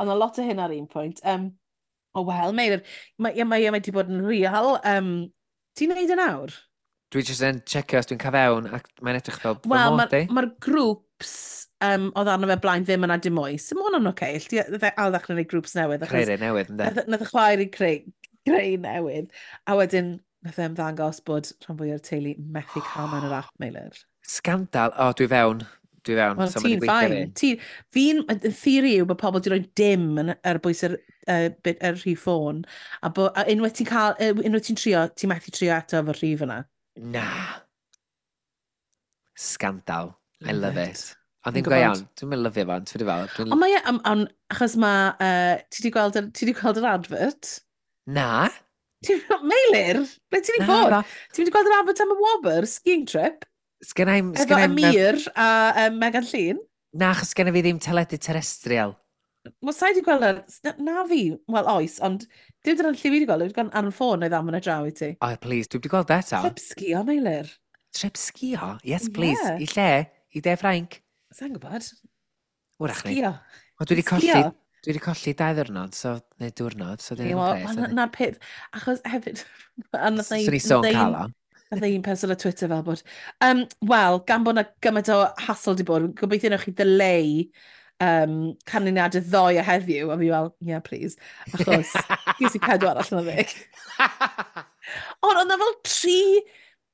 Ond a lot o hyn ar un pwynt. O wel, Meilir, mae wedi bod yn real. Ti'n neud e nawr? Dwi jyst yn checio os dwi'n cael fewn, ac mae'n edrych fel fy Wel, mod mae'r i. ma grŵps oedd arno fe blaen ddim yna dim mwy. So mae hwnna'n oce. Okay. Ail ddechrau gwneud grŵps newydd. Creu rhai newydd, ynddo? Nath y chwaer i creu newydd. A wedyn, nath e ymddangos bod rhan fwy o'r teulu methu cael mewn yr app, Meilir. Sgandal. O, dwi fewn. Dwi fewn. Wel, So, ma' 'di ti'n gweithio fine. Y theori yw bod pobl wedi rhoi dim yn, ar bwys yr rhif ffôn. A unwaith ti'n cael, unwaith ti'n trio, ti'n methu trio eto efo'r rhif yna. Na. Scandal. I love it. Ond Fi'n ddim go iawn. gwbod. Dwi'n mynd lyfio fo, ond ti'n fel. Ond mae e, achos mae, ti 'di gweld, ti 'di gweld yr advert? Na. Meilir, ble ti 'di Na, bod? na. Ti wedi gweld yr advert am y Wobr, skiing trip? Sgennai'm. Efo Amir a Megan Llun. Na, achos sgenna fi ddim teledu terrestrial. Wel, sa'i di gweld na, na fi, wel oes, ond dim dyna'n lle fi wedi gweld, wedi gweld ar y ffôn neu ddamon y draw i ti. Oh, please, dwi wedi gweld eto. Trip sgio, Meilir. Trip sgio? Yes, please. Yeah. I lle? I De Ffrainc? Sa'n gwybod. Wrach ni. Sgio. Wel, dwi wedi colli, dwi wedi colli 2 ddiwrnod, so, neu diwrnod, so dwi ddim yn pres. Na'r peth, achos hefyd. Swn i sôn cael o. Nath un person ar Twitter fel bod, wel, gan bod na gymaint o hassle di bod, gobeithio newch chi delay canlyniadau ddoe a heddiw, a fi fel, "Yeah, please." Achos, ges i 4 allan o 10. Ond oedd na fel tri.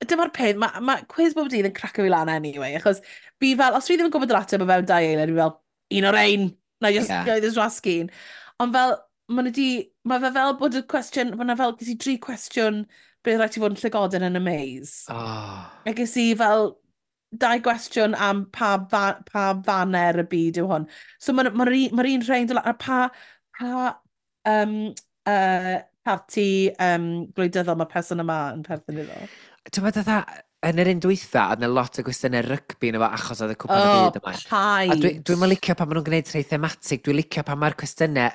Dyma'r peth, mae quiz bob dydd yn craco fi lan anyway, achos fi fel, os fi ddim yn gwybod yr ateb o fewn 2 eiliad, fi fel, un o'r ein, na just yeah. This rasgyn. Ond fel, mae di, mae fe fel bod y cwestiwn, mae yna fel, ges i dri cwestiwn beth rhaid ti fod yn llygoden yn y maze. Oh. A ges i fel dau gwestiwn am pa faner y byd yw hwn. So mae'r ma un rhain, a pa parti gwleidyddol mae person yma yn perthyn iddo. Ti'n meddwl, fatha, yn yr un dwytha, oedd yna lot o gwestiynau rygbi yna fo achos oedd y cwpan y byd yma. Paid. A dwi'n licio pan maen nhw'n gwneud rhai thematig, dwi'n licio pan mae'r cwestiynau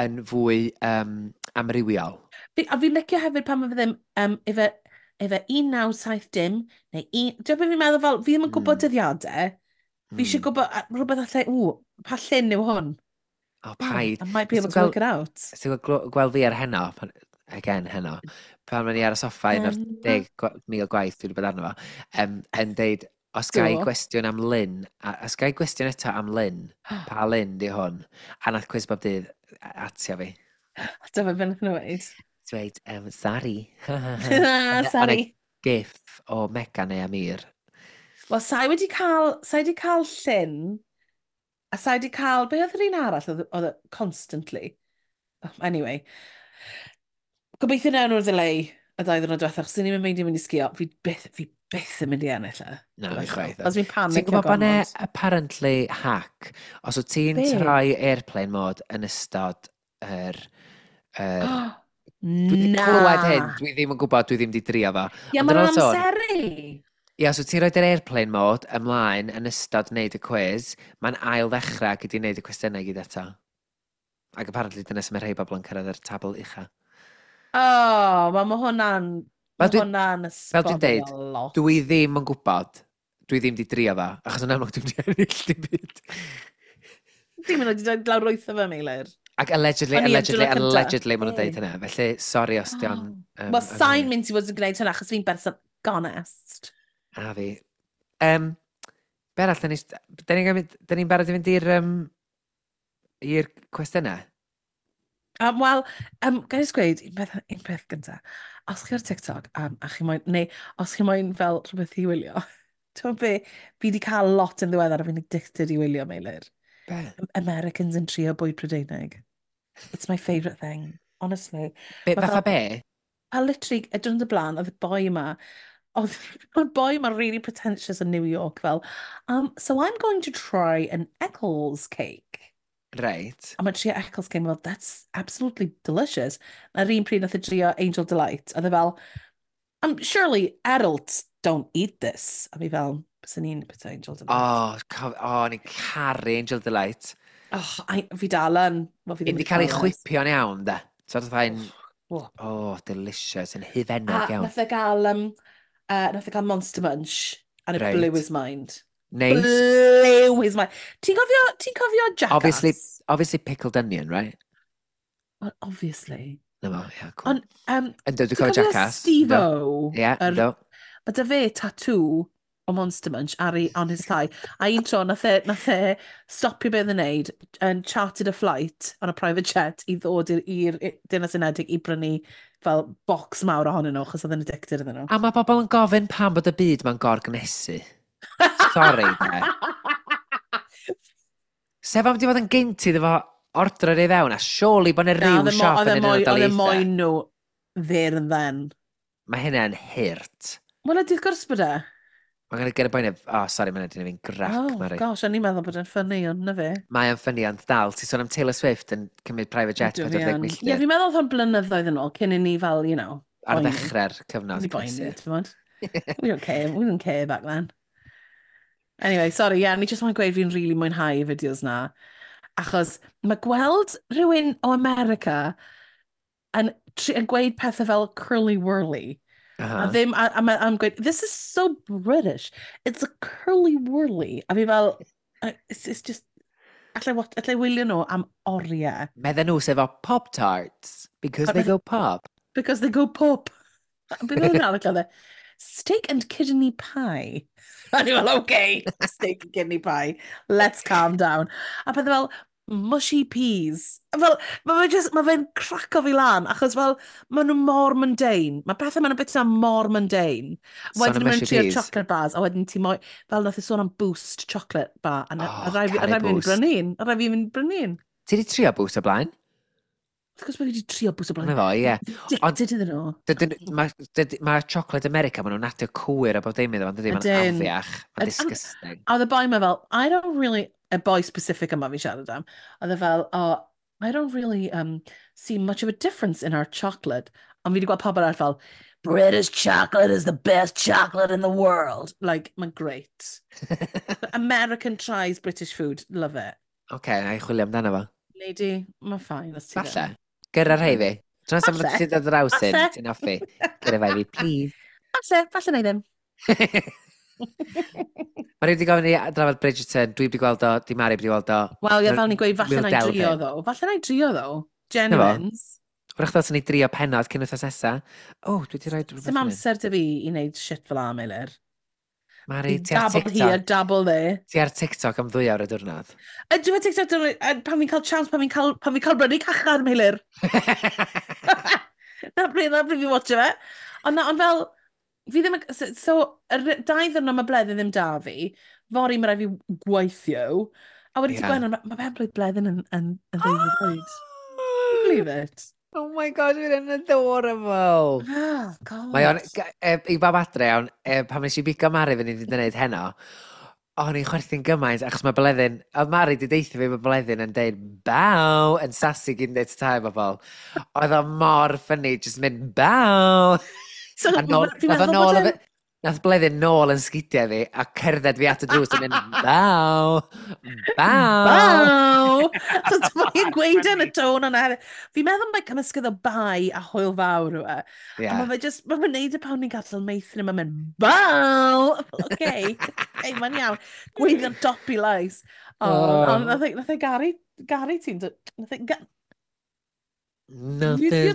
yn fwy amrywiol. A fi'n licio hefyd pan mae fe ddim, efe 1970, neu un. Dwi'n beth fi'n meddwl fel, fi ddim yn gwybod dyddiadau. Fi eisiau gwybod rhywbeth allai, ww, pa llun yw hwn? O, paid. I might be able to work it out. Ti'n gweld fi ar heno, pan, again heno, pan ma'n i ar y soffa un o'r 10,000 gwaith dwi wedi bod arno fo, yn deud, os ga i gwestiwn am Lynn, a, os ga i gwestiwn eto am Lynn, pa Lynn di hwn? A nath Cwis Bob Dydd atio fi. Dyma beth nhw'n dweud. Dweud, "Sorry." Sorry. Gif o Megan neu Amir. Wel, sai wedi cael llyn, a sai wedi cael, be oedd yr un arall oedd constantly? Oh, anyway, gobeithio newn nhw'r delay y 2 ddwrnod diwethaf, achos ni'n mynd i mynd i sgio, fi byth yn mynd i ennill e. Na, fi chwaith. Os fi'n panicio Ti'n gwybod bod 'na apparently hack, os wyt ti'n troi airplane mode yn ystod yr Dwi wedi clywed hyn, dwi ddim yn gwybod, dwi ddim wedi drio fo. Ie, mae'n amseru. Ie, os wyt ti'n rhoi yr airplane mode ymlaen yn ystod wneud y quiz, mae'n ail ddechrau gyda wneud y cwestiynau gyd eto. Ac apparently dyna sy'n mae rhai bobl yn cyrraedd yr tabl ucha. Oh, mae hwnna'n. Mae hwnna'n Fel dwi'n deud, dwi ddim yn gwybod. Dwi ddim wedi drio fo, achos yn amlwg dwi'n wedi ennill dim byd. Dim yn wedi dod lawr wyth o fe, Meilir. Ac allegedly, allegedly, allegedly, maen nhw'n deud hynna. Felly, sorry os di o'n. Wel, sa'n mynd i fod yn gwneud hynna, achos fi'n berson gonest. A fi. Be arall, da ni'n barod i fynd i'r cwestiynau? Wel, gael i gweud, un peth gyntaf. Os chi ar TikTok, a chi moyn, neu os chi moyn fel rhywbeth i wylio, ti'n be, fi wedi cael lot yn ddiweddar a fi'n addicted i wylio, Meilir. Be? Americans yn trio bwyd Prydeinig. It's my favourite thing, honestly. Be, fatha be? A literally, y diwrnod y blaen, oedd y boi yma, oedd y boi yma really pretentious in New York, fel, "So I'm going to try an Eccles cake." A mae'n trio Eccles cake, well, "That's absolutely delicious." A'r un pryd nath e drio Angel Delight, oedd e fel, "Surely adults don't eat this." A fi fel, bys ni'n put Angel Delight. Oh, oh, ni'n caru Angel Delight. Oh, fi dal yn. Well, fi ddim wedi cael ei chwipio'n iawn, da. So, oedd fatha'n, oh, delicious, yn hufennog iawn. Nath e gael Monster Munch, and it blew his mind. Nice. Blew his mind. Ti'n cofio Jackass? Obviously pickled onion, right? Well, obviously. No, well, yeah, cool. Ond, Ynddo, dwi'n cofio Jackass. Steve-O? Ie, ynddo. Mae 'da fe tattoo o Monster Munch on his thigh. A un tro, nath e stopio beth yn neud and chartered a flight on a private jet i ddod i'r Deyrnas Unedig i brynu fel box mawr ohonyn nhw, achos oedd yn addicted iddyn nhw. A mae bobl yn gofyn pam bod y byd ma'n gorgnesu. Sorry, de. Sef am di fod yn gynt iddo fo ordro ei fewn, a surely bod yna rhyw siop yn yr Unol Daleithiau. Oedd e moyn nhw there and then. Mae hynna'n hurt. Wel, ydy, wrth gwrs bod e. Mae'n gonna get a boen. Oh, sorry, mae'n edrych fi'n grac, oh, Mari. Gosh, o'n i'n meddwl bod e'n funny, ond na fe. Mae o'n funny, ond dal. Ti'n sôn am Taylor Swift yn cymryd private jet 40 milltir. Ie, fi'n meddwl oedd hwn blynyddoedd yn ôl, cyn i ni fel, ar ddechrau'r cyfnod. Ni boeni, ti'n bod? We don't care, we don't care back then. Anyway, sorry, yeah, ni just want gweud fi'n really mwynhau y fideos na. Achos mae gweld rhywun o America yn gweud pethau fel curly whirly. A ddim, a gweud, "This is so British. It's a curly whirly." A fi fel, it's just, allai wylio nhw am oriau. Medden nhw sef o Pop-Tarts, because they go pop. Because they go pop. Beth oedd yna arall oedd e? Steak and kidney pie. A ni fel, "Okay, steak and kidney pie. Let's calm down." A pethau fel, mushy peas. A fel, mae fe just, mae fe'n craco fi lan, achos fel, maen nhw mor mundane. Mae pethau maen nhw'n bita mor mundane. Sôn Wedyn am maen mushy nhw'n trio peas. chocolate bars, a wedyn ti moi, fel nath i sôn am Boost chocolate bar, a, Oh, a rai fi, a caru rai fi fynd i Boost. brynu un. A rai fi fynd i brynu un. Ti di trio Boost o blaen? Wrth gwrs bod fi wedi trio Boost o blaen. Na fo, ie. Addicted iddyn nhw. Mae chocolate America, maen nhw'n adio cwyr a bob dim iddo fo, dydy? Mae'n Ydyn. afiach. Mae'n disgusting. A oedd y boi ma fel, I don't really, y boi specific yma fi'n siarad am, oedd e fel, "Oh, I don't really see much of a difference in our chocolate." Ond fi wedi gweld pobl arall fel, "British chocolate is the best chocolate in the world." Like, mae'n great. American tries British food, love it. Oce, na i chwilio amdano fo. Nei di, mae'n fine, os ti Falle. ddim. Gyrra rhai fi. Tro nesaf Falle. ti'n dod draws un, Falle. ti'n hoffi. Gyrra fai fi, please. Falle, falle na i ddim. Mae rhaid i gofyn i drafod Bridgerton, dwi wedi gweld o, di Mari wedi gweld o. Wel, ie, fel ni'n gweud, falle We'll na i delve drio in. ddo. Falle na i drio ddo. Genuines. Wrach ddod ni drio penod cyn wythnos nesa. O, dwi wedi rhoi rhywbeth Sim fan hyn. amser dy fi i wneud shit fel am, Meilir. Mari, ti ar Dabble here, TikTok. dabble there. Ti ar TikTok am 2 awr y diwrnod. A dwi'n TikTok, pan fi'n cael chance, pan fi'n cael brynu cachar, Meilir. Na pryd fi'n watcho fe. Ond na, ond fel, fi ddim, so, 2 ddiwrnod mae Bleddyn ddim da fi, fory mae rhaid fi gweithio, a wedi ti gweud, mae ben blwydd Bleddyn yn 12 oed. Can you believe it? Oh my God, mae'n adorable. Oh, God. Mae o'n, i bawb adre iawn, pan nes i bigo Mari fyny i wneud heno, o'n i'n chwerthin gymaint, achos mae Bleddyn, oedd Mari di deithio fi bod Bleddyn yn deud "bow" yn sassy gyn deud ta bobl. Oedd o mor funny, just mynd "bow". So, A nôl, fi'n nath o meddwl nôl, bod nath Bleddyn nôl yn sgidiau fi a cerdded fi at y drws yn mynd "bow, bow". "Bow!" So, mae'n gweud yn y tôn yna hefyd. Fi'n meddwl mae cymysgedd o bai a hwyl fawr yw e. A mae fe just, mae fe'n neud y pan ni'n gadael meithrin, mae'n mynd, "Bow!" Okay, okay, mae'n iawn. Gweithio'n dop i lais. Oh, Oh. oh. Nath e garu ti'n... Nath e... Nothing.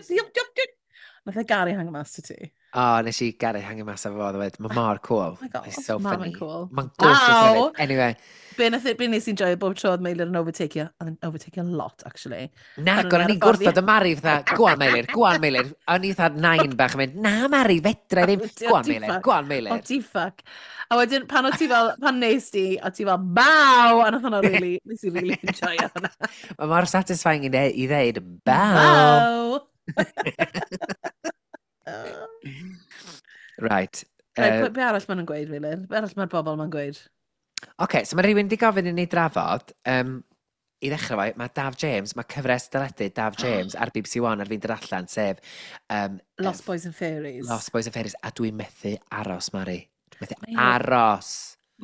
Nath e garu hang mas ti. O, nes i garu hangio mas efo fo, ddweud. Mae mor cool. Oh my God, He's so ma' funny. fe'n cool. Mae'n gorgeous Wow. hefyd. Anyway, Be nes i'n joio bob tro oedd Meilir yn overtakeio, oedd yn overtakeio a lot, actually. Na, Pan o'n o'n i ar i'n y ffordd gwrthod y Mari, fatha, "Go on, Meilir, go on, Meilir." O'n i fatha nain bach yn mynd, "Na, Mari, fedra i ddim. Go on, Ti Meilir, fuck. go on, Meilir." O, ti fuck. A wedyn, pan o ti fel, pan nes di, o ti fel, "Bow!" A nath hwnna really, nes i really enjoy hwnna. Mae mor satisfying i ddeud, "Bow." "Bow!" Right. Right, be arall maen nhw'n gweud, Meilir? Be arall mae'r bobl ma'n gweud? Oce, so mae rhywun wedi gofyn i ni drafod, i ddechrau fo, mae Daf James, mae cyfres deledu Daf James ar BBC One ar fin dod allan, sef Lost Boys and Fairies. Lost Boys and Fairies, a dwi'n methu aros, Mari. Dwi'n methu aros.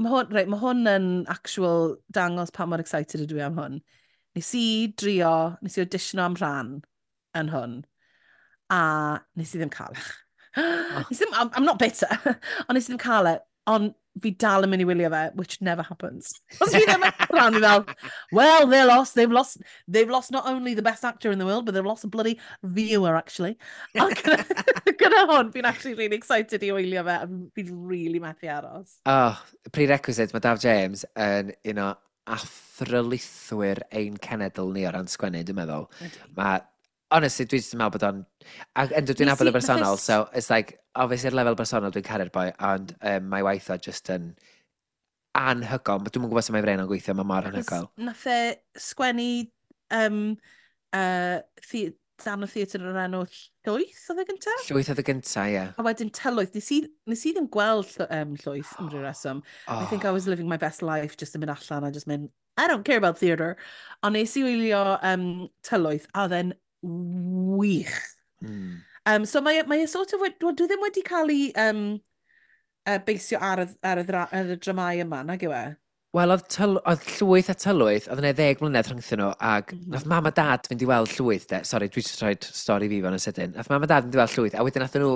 Mae hwn, right, mae hwn yn actual dangos pa mor excited ydw i am hwn. Nes i drio, nes i auditiono am rhan yn hwn, a nes i ddim cael e. Oh. Nes i ddim, I'm not bitter, ond nes i ddim cael e, ond fi dal yn mynd i wylio fe, which never happens. Os fi ddim yn rhan, fi fel, "Well, they're lost, they've lost not only the best actor in the world, but they've lost a bloody viewer, actually." Ond gyda hwn, fi'n actually really excited i wylio fe, a fi'n really methu aros. Oh, prerequisite, mae Daf James yn un o athrylithwyr ein cenedl ni o ran sgwennu, dwi'n meddwl. Mae, honestly, dwi jyst yn meddwl bod o'n... Ac yndw, dwi'n Nes nabod y bersonol, nath so it's like, obviously ar lefel bersonol dwi'n caru'r boi, ond mae waith o just yn anhygoel. Dwi'm yn gwybod sut mae brain o'n gweithio, mae mor Achos anhygoel. nath e sgwennu darn o theatr o'r enw Llwyth, oedd e gyntaf? Llwyth oedd y gynta, ie. A wedyn Tylwyth, nes i ddim gweld Llwyth am ryw reswm. I think I was living my best life, just yn mynd allan a just mynd, "I don't care about theatre." Ond nes i wylio Tylwyth, a oedd e'n wych. So mae e sort of, wel, dwi ddim wedi cael ei beisio ar y dramau yma, nag yw e? Wel, oedd Llwyth a Tylwyth, oedd yna 10 mlynedd rhyngthyn nhw, ac nath mam a dad fynd i weld Llwyth, de. Sorry, dwi jyst rhoi stori fi fan yn sydyn. Nath mam a dad fynd i weld Llwyth, a wedyn nath nhw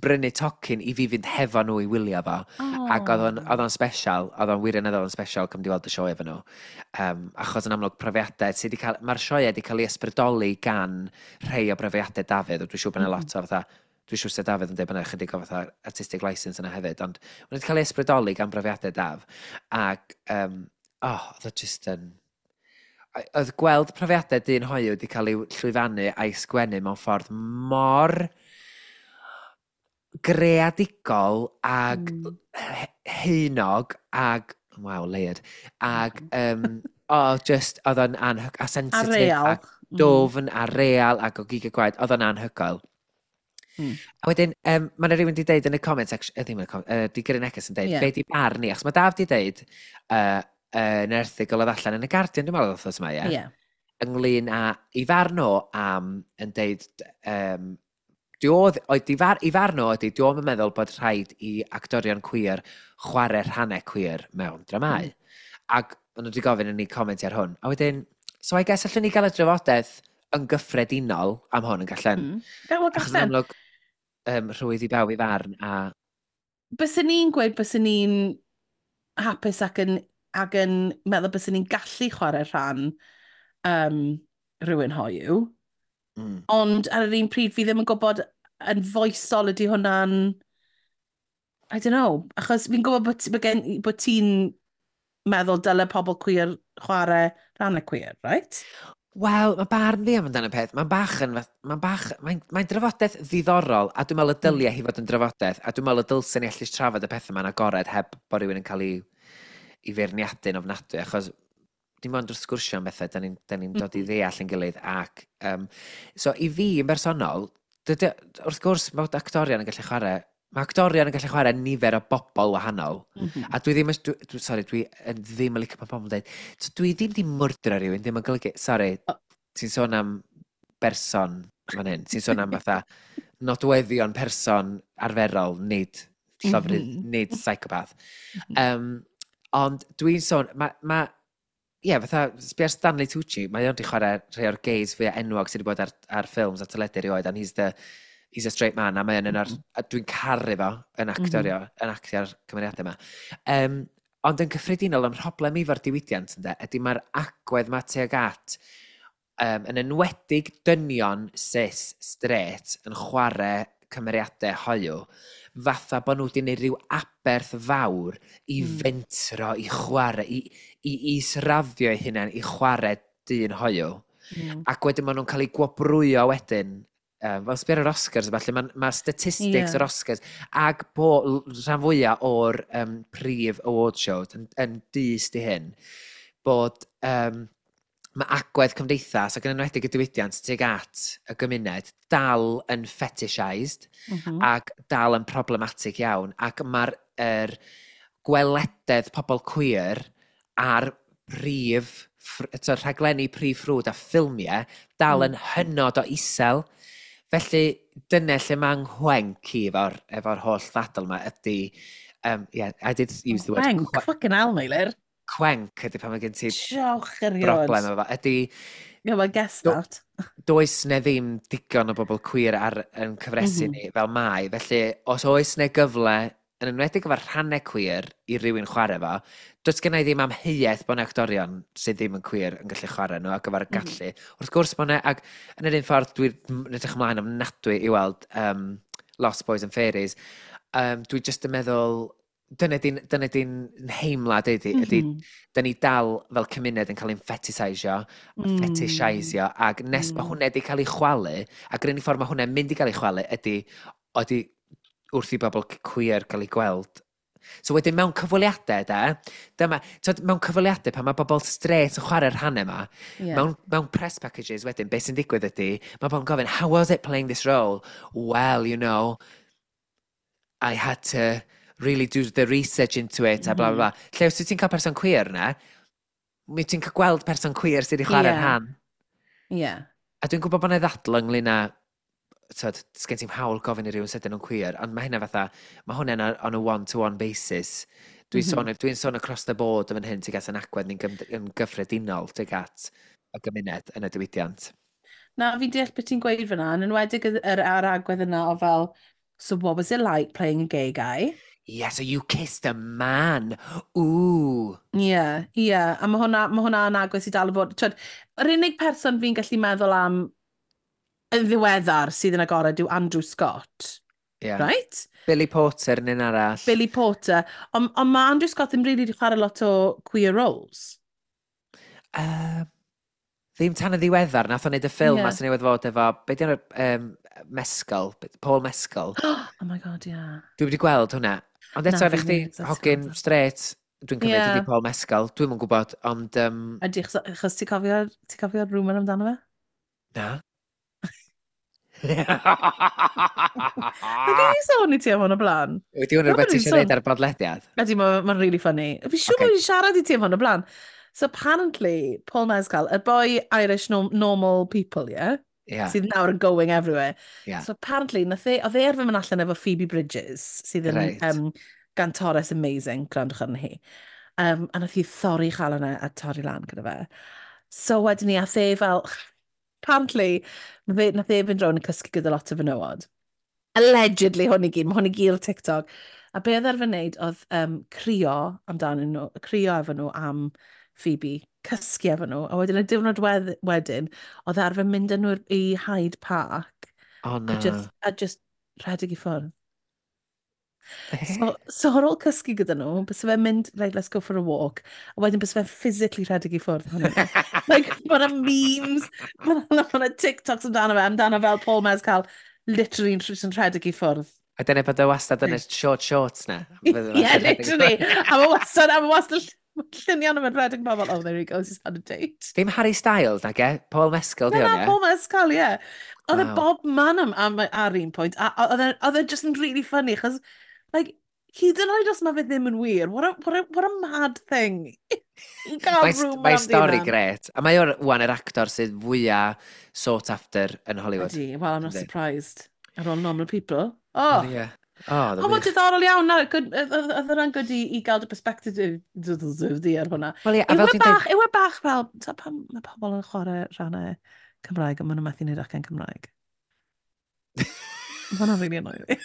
brynu tocyn i fi fynd hefo nhw i wylio fo. Oh. Ac oedd o'n special, oedd o'n wirioneddol yn special cymryd i weld y sioe efo nhw. Achos yn amlwg profiadau sydd wedi cael, mae'r sioe wedi cael ei ysbrydoli gan rhai o brofiadau Dafydd, dwi'n siŵr bod yna lot o fatha, dwi'n siŵr sydd Dafydd yn dweud bod yna chydig o fatha artistic license yna hefyd, ond mae'n wedi cael ei ysbrydoli gan brofiadau Daf. Ac, oh, oedd o just yn... Oedd gweld profiadau dyn hoyw wedi cael ei llwyfannu a'i sgwennu mewn ffordd mor greadigol ag haenog ag, wow, layered, ag oh, just, oedd o'n a A sensitive, real. a dofn, a real, ac o gig a gwaed, oedd o'n anhygoel. A wedyn, mae yna rhywun wedi deud yn y comment section, ddim yn y comment, di gyrru neges yn deud, be di barn ni? Achos mae Daf di deud, yn erthygl oedd allan yn y Guardian, dwi'n meddwl oedd yma, ie? Yeah. Ynglyn â, i farn o am, yn deud, di oedd, oedd di far, i farn o ydy, di o'm yn meddwl bod rhaid i actorion queer chwarae rhannau queer mewn dramau. Ac o'n nhw wedi gofyn i ni comment ar hwn. A wedyn, so I guess allwn ni gael y drafodaeth yn gyffredinol am hwn yn gallen. Wel, Achos yn gallen. amlwg, rhwydd i bawb i farn a Byswn ni'n gweud byswn ni'n hapus ac yn meddwl byswn ni'n gallu chwarae rhan rhywun hoyw. Ond ar yr un pryd fi ddim yn gwybod yn foesol ydy hwnna'n... I don't know. Achos fi'n gwybod bod ti'n meddwl dyle pobl queer chwarae rhan y queer, right? Wel, mae barn fi am amdano peth. Mae'n bach yn... Mae'n bach... Mae'n drafodaeth ddiddorol, a dwi'n meddwl y dylia hi fod yn drafodaeth, a dwi'n meddwl y dylsen ni allu trafod y pethau yma'n agored heb bod rhywun yn cael ei feirniadu'n ofnadwy, achos dim ond wrth sgwrsio am bethau, da ni dod i ddeall yn gilydd. Ac, so, i fi yn bersonol, dydy, wrth gwrs, mae actorion yn gallu chwarae, mae actorion yn gallu chwarae nifer o bobl wahanol. A dwi ddim, dwi, sorry, dwi yn ddim yn licio pan pobl yn dweud, so dwi ddim di mwrdro rhywun, ddim yn golygu, sorry, ti'n sôn am berson fan hyn, ti'n sôn am fatha nodweddion person arferol, nid llofrudd, nid psychopath. Ond dwi'n sôn, ma, ie, yeah, fatha, sbio ar Stanley Tucci, mae o'n di chwarae rhai o'r gays fwy enwog sydd wedi bod ar ffilms a teledu erioed, and he's a straight man, a mae o'n un o'r, a dwi'n caru fo yn actorio, yn actio'r cymeriadau yma. Ond yn cyffredinol, ym mhroblem i fo'r diwydiant, ynde, ydy mae'r agwedd ma tuag at, yn enwedig dynion cis straight yn chwarae cymeriadau hoyw, fatha bod nhw wedi gwneud rhyw aberth fawr i fentro, i chwarae, i israddio eu hunain, i chwarae dyn hoyw. Ac wedyn maen nhw'n cael eu gwobrwyo wedyn, fel sbio ar yr Oscars, falle, mae ma statistics yr Oscars, ag bo rhan fwyaf o'r prif award shows yn dyst i hyn, bod mae agwedd cymdeithas ac yn enwedig y diwydiant tuag at y gymuned dal yn fetishised ac dal yn problematic iawn ac mae'r er gwelededd pobl queer ar prif, eto, rhaglenni prif ffrwd a ffilmiau dal yn hynod o isel. Felly, dyna lle mae'n nghwenc i efo holl ddadl yma ydy, yeah, I did use the word Cwenc, fucking hell, Meilir. Cwenc ydy pan mae gen ti Diolch erioed. broblem efo. Ydy, Yeah, well, guess that. Does ne ddim digon o bobl queer ar yn cyfresu ni fel mai. Felly, os oes ne gyfle, yn enwedig efo'r rhannau queer i rywun chwarae fo, does gen i ddim amheuaeth bod 'na actorion sydd ddim yn queer yn gallu chwarae nhw ac efo'r gallu. Wrth gwrs bod 'na, ac yn yr un ffordd dwi'n edrych ymlaen ofnadwy i weld Lost Boys and Fairies. Dwi jyst yn meddwl, dyna di'n nheimlad ydy, ydy da ni dal fel cymuned yn cael ein fetisisio, fetishisio, ac nes mae hwnna wedi cael ei chwalu, ac yr unig ffordd mae hwnna'n mynd i gael ei chwalu ydy wrth i bobl queer cael ei gweld. So wedyn mewn cyfweliadau, da, dyma, twyd, mewn cyfweliadau pan mae bobl straight yn chwarae'r rhannau yma, mewn press packages wedyn, beth sy'n digwydd ydy, mae bobl yn gofyn, "How was it playing this role?" "Well, I had to really do the research into it," a bla bla bla. Lle os wyt ti'n cael person queer na, mi ti'n cael gweld person queer sydd wedi chwarae'r rhan. A dwi'n gwybod bod yna ddadl ynglyn â tyd, sgen ti'm hawl gofyn i rywun sut ydyn nhw'n queer, ond mae hynna fatha, mae hwnna'n on a one-to-one basis. Dwi'n sôn, dwi sôn across the board yn fan hyn tuag at yn agwedd ni'n yn gyffredinol tuag at y gymuned yn y diwydiant. Na, fi'n deall beth ti'n gweud fyna, yn enwedig yr agwedd yna o fel, "So what was it like playing a gay guy?" Yeah, so you kissed a man. Ooh. Ie. Yeah. A ma hwnna yn agwedd sydd dal yn bod. Twyd, yr unig person fi'n gallu meddwl am yn ddiweddar sydd yn agored yw Andrew Scott. Right? Billy Porter yn un arall. Billy Porter. On mae Andrew Scott ddim really wedi chwarae lot o queer roles. Ddim tan y ddiweddar, nath o'n neud y ffilm yeah. sy'n newydd fod efo, be di enw'r Mescal, Paul Mescal. Oh my God, yeah. Dwi wedi gweld hwnna. Ond eto, na chdi hogyn straight, dwi'n cymryd ydi Paul Mescal, dwi'm yn gwybod, ond Ydy, achos ti cofio'r rumour amdano fe? Na. Nag i sôn i ti am hwn o blaen? Wedi hwn rhywbeth ti eisiau gwneud ar y bodlediad? Ydy, mae'n ma really funny. Fi'n siŵr bod wedi siarad i ti am hwn o blaen. So apparently, Paul Mescal, y boy Irish Normal People, yeah? Yeah. Sydd nawr yn going everywhere. Yeah. So apparently, nath e, oedd e arfer mynd allan efo Phoebe Bridgers, sydd yn gantores amazing, gwrandwch arni hi. A nath hi thorri chalon e a torri lan gyda fe. So wedyn ni, ath e fel, apparently, nath e fynd rownd yn cysgu gyda lot o fenywod. Allegedly, hwn i gyd, mae hwn i gyd ar TikTok. A be oedd arfer wneud oedd crio amdanyn nhw, crio efo nhw am Phoebe, cysgu efo nhw, a wedyn y diwrnod wedyn, oedd arfer mynd â nhw i Hyde Park Oh, na. a just rhedeg i ffwrdd. So ar ôl cysgu gyda nhw, bys fe'n mynd, "Right, let's go for a walk." A wedyn bys fe'n physically rhedeg i ffwrdd ohonyn nhw. Like, mae yna memes, mae yna ma TikToks amdano fe, amdano fel Paul Mescal, literally yn rhedeg i ffwrdd. A dyna bod o wastad yn y short shorts na. Yeah, literally. A mae wastad lluniau nhw'n rhedeg pobl, "Oh, there he goes, he's had a date." Ddim Harry Styles, nag e? Paul Mescal, di Na, hwn, ie? Paul Mescal, ie. Oedd e bob man am, ar un pwynt, a oedd e just yn really funny, achos, like, hyd yn oed os mae fe ddim yn wir, what a mad thing i gael rumour Mae am stori ddyn. Gret. A mae o'r wan yr actor sydd fwyaf sought after yn Hollywood. Ydy, well, I'm not Yndi. surprised. Ar ôl Normal People. Oh, Ie. Oh, oh, mae'n diddorol iawn. Na, good, oedd hwnna'n good i gael dy perspective di ar hwnna. Wel ie, a Yw fel e dwi'n dweud, bach, yw e bach fel, ta pam mae pobl yn chwarae rhannau Cymraeg a maen nhw'n methu wneud acen Cymraeg? Mae hwnna'n really annoying fi.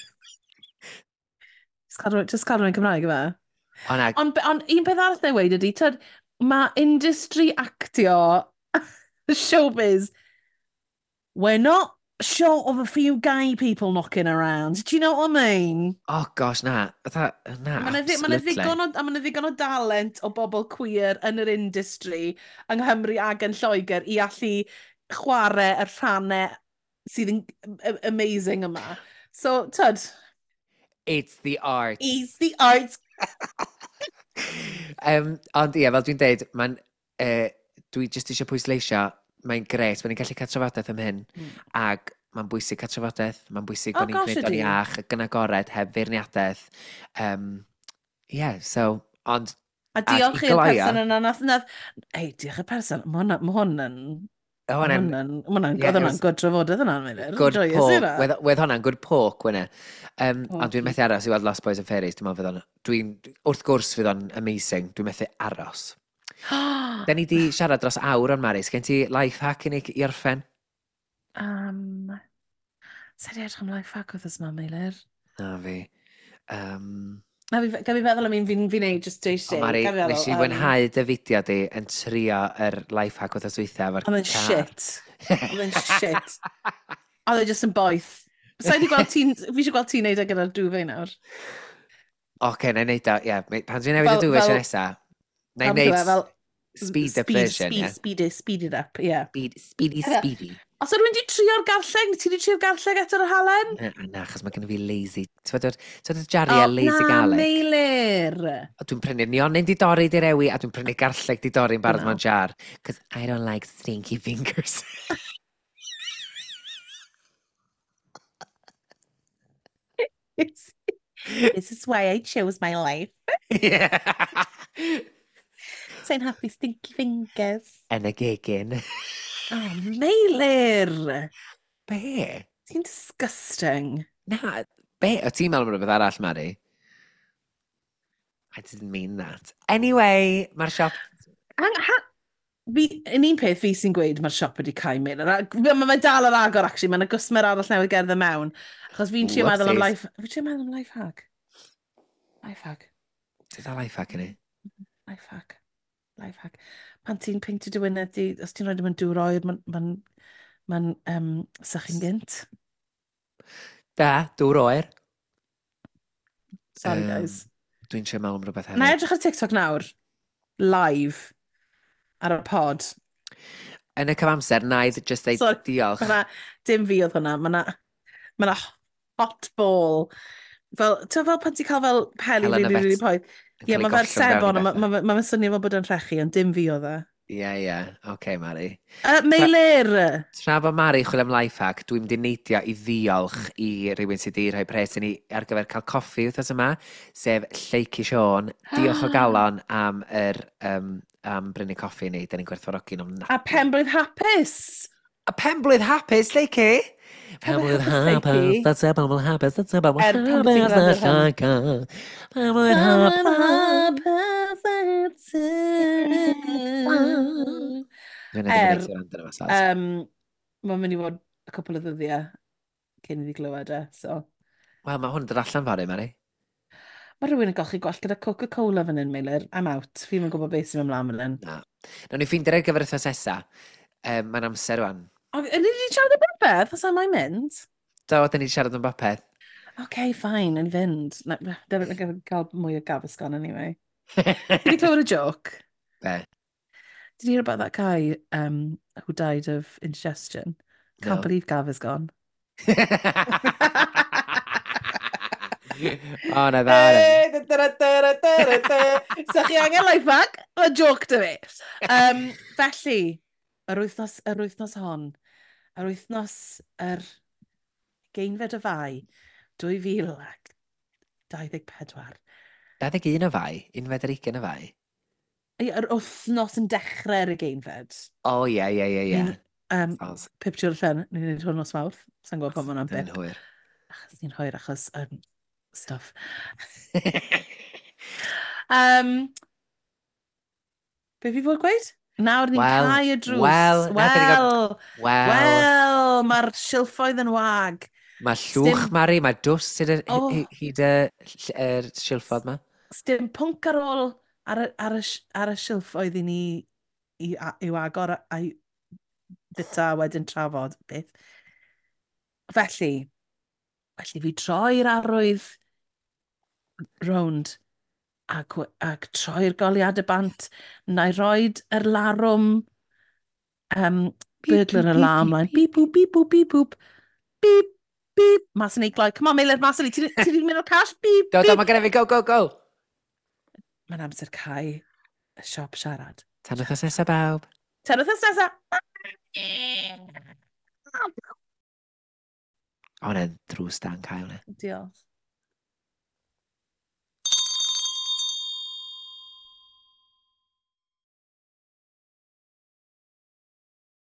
Just cael rhywun Cymraeg yma. O na, Ond un peth arall na i weud ydy, tyd, mae industry actio, showbiz, we're not short of a few gay people knocking around. Do you know what I mean? Oh gosh, na. Fatha, na, Mae 'na ma 'na absolutely. ddigon o, a ma' 'na ddigon o dalent o bobl queer yn yr industry yng Nghymru ac yn Lloegr i allu chwarae y rhannau sydd yn amazing yma. So, tyd, It's the art. It's the arts. Ond ie, fel dwi'n deud, mae'n, dwi jyst eisiau pwysleisio, mae'n gret, mae'n ni'n gallu cael trafodaeth am hyn, ac mae'n bwysig cael trafodaeth, mae'n bwysig Oh bod ni'n gosh, gwneud o'n ydi. iach ac yn agored, heb feirniadaeth. Yeah, so, ond A diolch i i'r gloio- person yna, nath, ei, diolch i'r person, ma hwn yn, O, ma hwnna'n hwn yn, ma hwnna'n, Ie, oedd it hwnna'n was good trafodaeth yna, Meilir. good Joyous poke. hynna. Wedd hwnna'n good poke, wedd e. Ond dwi'n Pokey. methu aros i weld Lost Boys and Fairies. Dwi'n meddwl fydd o'n... Dwi'n... Wrth gwrs fydd o'n amazing. Dwi'n methu aros. Da ni di siarad dros awr o'n Mari. Sgen ti life hack i ni i orffen? Sa di edrych am life hack wythnos yma, Meilir? Na fi. Na, fi, gael fi feddwl am un fi'n fi neud just dweud O Mari, nes i fwynhau dy fideo di yn trio yr life hack wythnos dwytha efo'r Oedd e'n car. shit. Oedd e'n shit. Oedd e just yn boeth. Sa i di gweld ti'n... Fi eisiau gweld ti'n neud e gyda'r duvet nawr. Oce, na i neud o, ie. Pan dwi'n newid y duvet tro nesa, na i Fel- neud fel speed up speed, version, speed, ie. Speed it up, ie. Speed, speedy, Ie. Speedy. Os ydw i'n di trio'r garlleg, ti di trio'r garlleg eto'r halen? Na, na, achos mae gen i fi lazy. Ti'n gwybod y jariau lazy na, garlic? Meilir. O, dwi'n prynu nionyn di dorri di rewi a dwi'n prynu garlleg di dorri'n barod Na. mewn jar. Cos I don't like stinky fingers. This is why I chose my life. Yeah. Sa'n happy stinky fingers. Yn y gegin. Oh, Meilir. Be? Ti'n disgusting. Na, be? O ti'n meddwl am rhywbeth arall, Mari? I didn't mean that. Anyway, mae'r siop. Hang, ha, fi, yn un peth fi sy'n gweud mae'r siop wedi cau, Meilir. Mae fe dal ar agor, actually. Mae'n gwsmer arall newydd gerdded mewn. Achos fi'n trio meddwl am Whoopsies. life. Fi'n trio meddwl am life hack. Life hack. Ti'n dal life hack yn ni? Life hack. Life hack. Pan ti'n peintio dy wyneb di, os ti'n rhoi mewn dŵr oer, mae'n ma sychu'n gynt. Da, dŵr oer. Sorry, guys. Dwi'n trio meddwl am rhywbeth Na i hefyd. edrych ar TikTok nawr. Live. Ar y pod. Yn y cyfamser, na i just dweud Sorry. diolch. Ma' 'na, dim fi oedd hwnna. Mae na, ma na hot ball. Fel, ti'n fel pan ti'n cael fel peli Helen really, really Yvette poeth. yn Ie, cael ei mae fel gollwng fewn i sebon, a bethau. mae ma, ma, ma swnio fel bod yn rhechu, ond dim fi oedd e. Ie. Oce, Mari. Meilir! Tra bod Mari chwilio am life hack, dwi'n mynd i neidio i ddiolch i rywun sydd wedi rhoi pres i ni ar gyfer cael coffi wythnos yma, sef Lleucu Siôn. Diolch o galon am brynu coffi i ni. Da ni'n gwerthfawrogi'n A ofnadwy. penblwydd hapus! A penblwydd hapus, Lleucu! Penblwydd Penblwydd hapus, hapus, Lleucu. that's a penblwydd hapus, that's a penblwydd Er pan ti'n hapus, gwrando that's ar hwn. a penblwydd Penblwydd hapus. hapus i ti. Dwi'n edrych yn Er, ei wrando yma, Saz. Mae'n mynd i fod y cwpl o ddyddiau cyn iddi glywed e, so. Wel, mae hwn yn dod allan fory, Mari. Mae rhywun yn golchi gwallt gyda Coca-Cola fan hyn, Meilir. I'm out. Fi'm yn gwybod beth sy'n mynd mlaen fan hyn. Na. Nawn ni ffeindio'r ar gyfer wythnos nesa. Mae'n amser rwan. O, ni wedi siarad am bopeth, os am mae'n mynd? Do, da ni wedi siarad am bopeth. OK, fine, yn fynd. Na, definitely gael mwy o Gaviscon anyway. Did you clywed a joke? Be? Did you hear about that guy who died of indigestion? Can't No. believe Gav is gone. O, na dda. Na. So chi angen life hack? Mae joke dy fi. Felly, yr wythnos hon, yr wythnos yr 20fed o Fai, 2024. 21 o Fai, 21 o Fai. Ie, yr wythnos yn dechrau'r ugeinfed. O, ie. Ni'n, Soz. pip trwy'r llen, ni'n gwneud hwn nos Mawrth. Sa'n gwybod pan mae hwnna'n Dyn ni'n bip. hwyr. Achos ni'n hwyr achos stuff. Be fi fod gweud? Nawr ni'n Wel, cau y drws. wel, na, dyn ni'n Wel, Wel, wel, mae'r silffoedd yn wag. Mae llwch, Sdim- Mari, mae dwst hyd y, Oh. hyd y silffodd ma. Sdim pwnc ar ôl ar y silffoedd i ni i'w agor a'i bita a wedyn trafod beth. Felly fi troi'r arwydd rownd ac troi'r goleuadau bant, na i roed yr larwm Beep, burglar beep, alarm beep, line. beep, Beep, boop, beep, boop, beep, boop. Beep, beep. Mas yn ei gloi. Come on, Meilir, mas yn ei. Ti 'di mynd o'r cash? Beep, Do, do, beep. mae genna fi, go, go, go! Mae'n amser cau y siop siarad. Tan wythnos nesaf, bawb. Tan wythnos nesaf. O, hwnna'n drws da'n cael, hwnna. Diolch.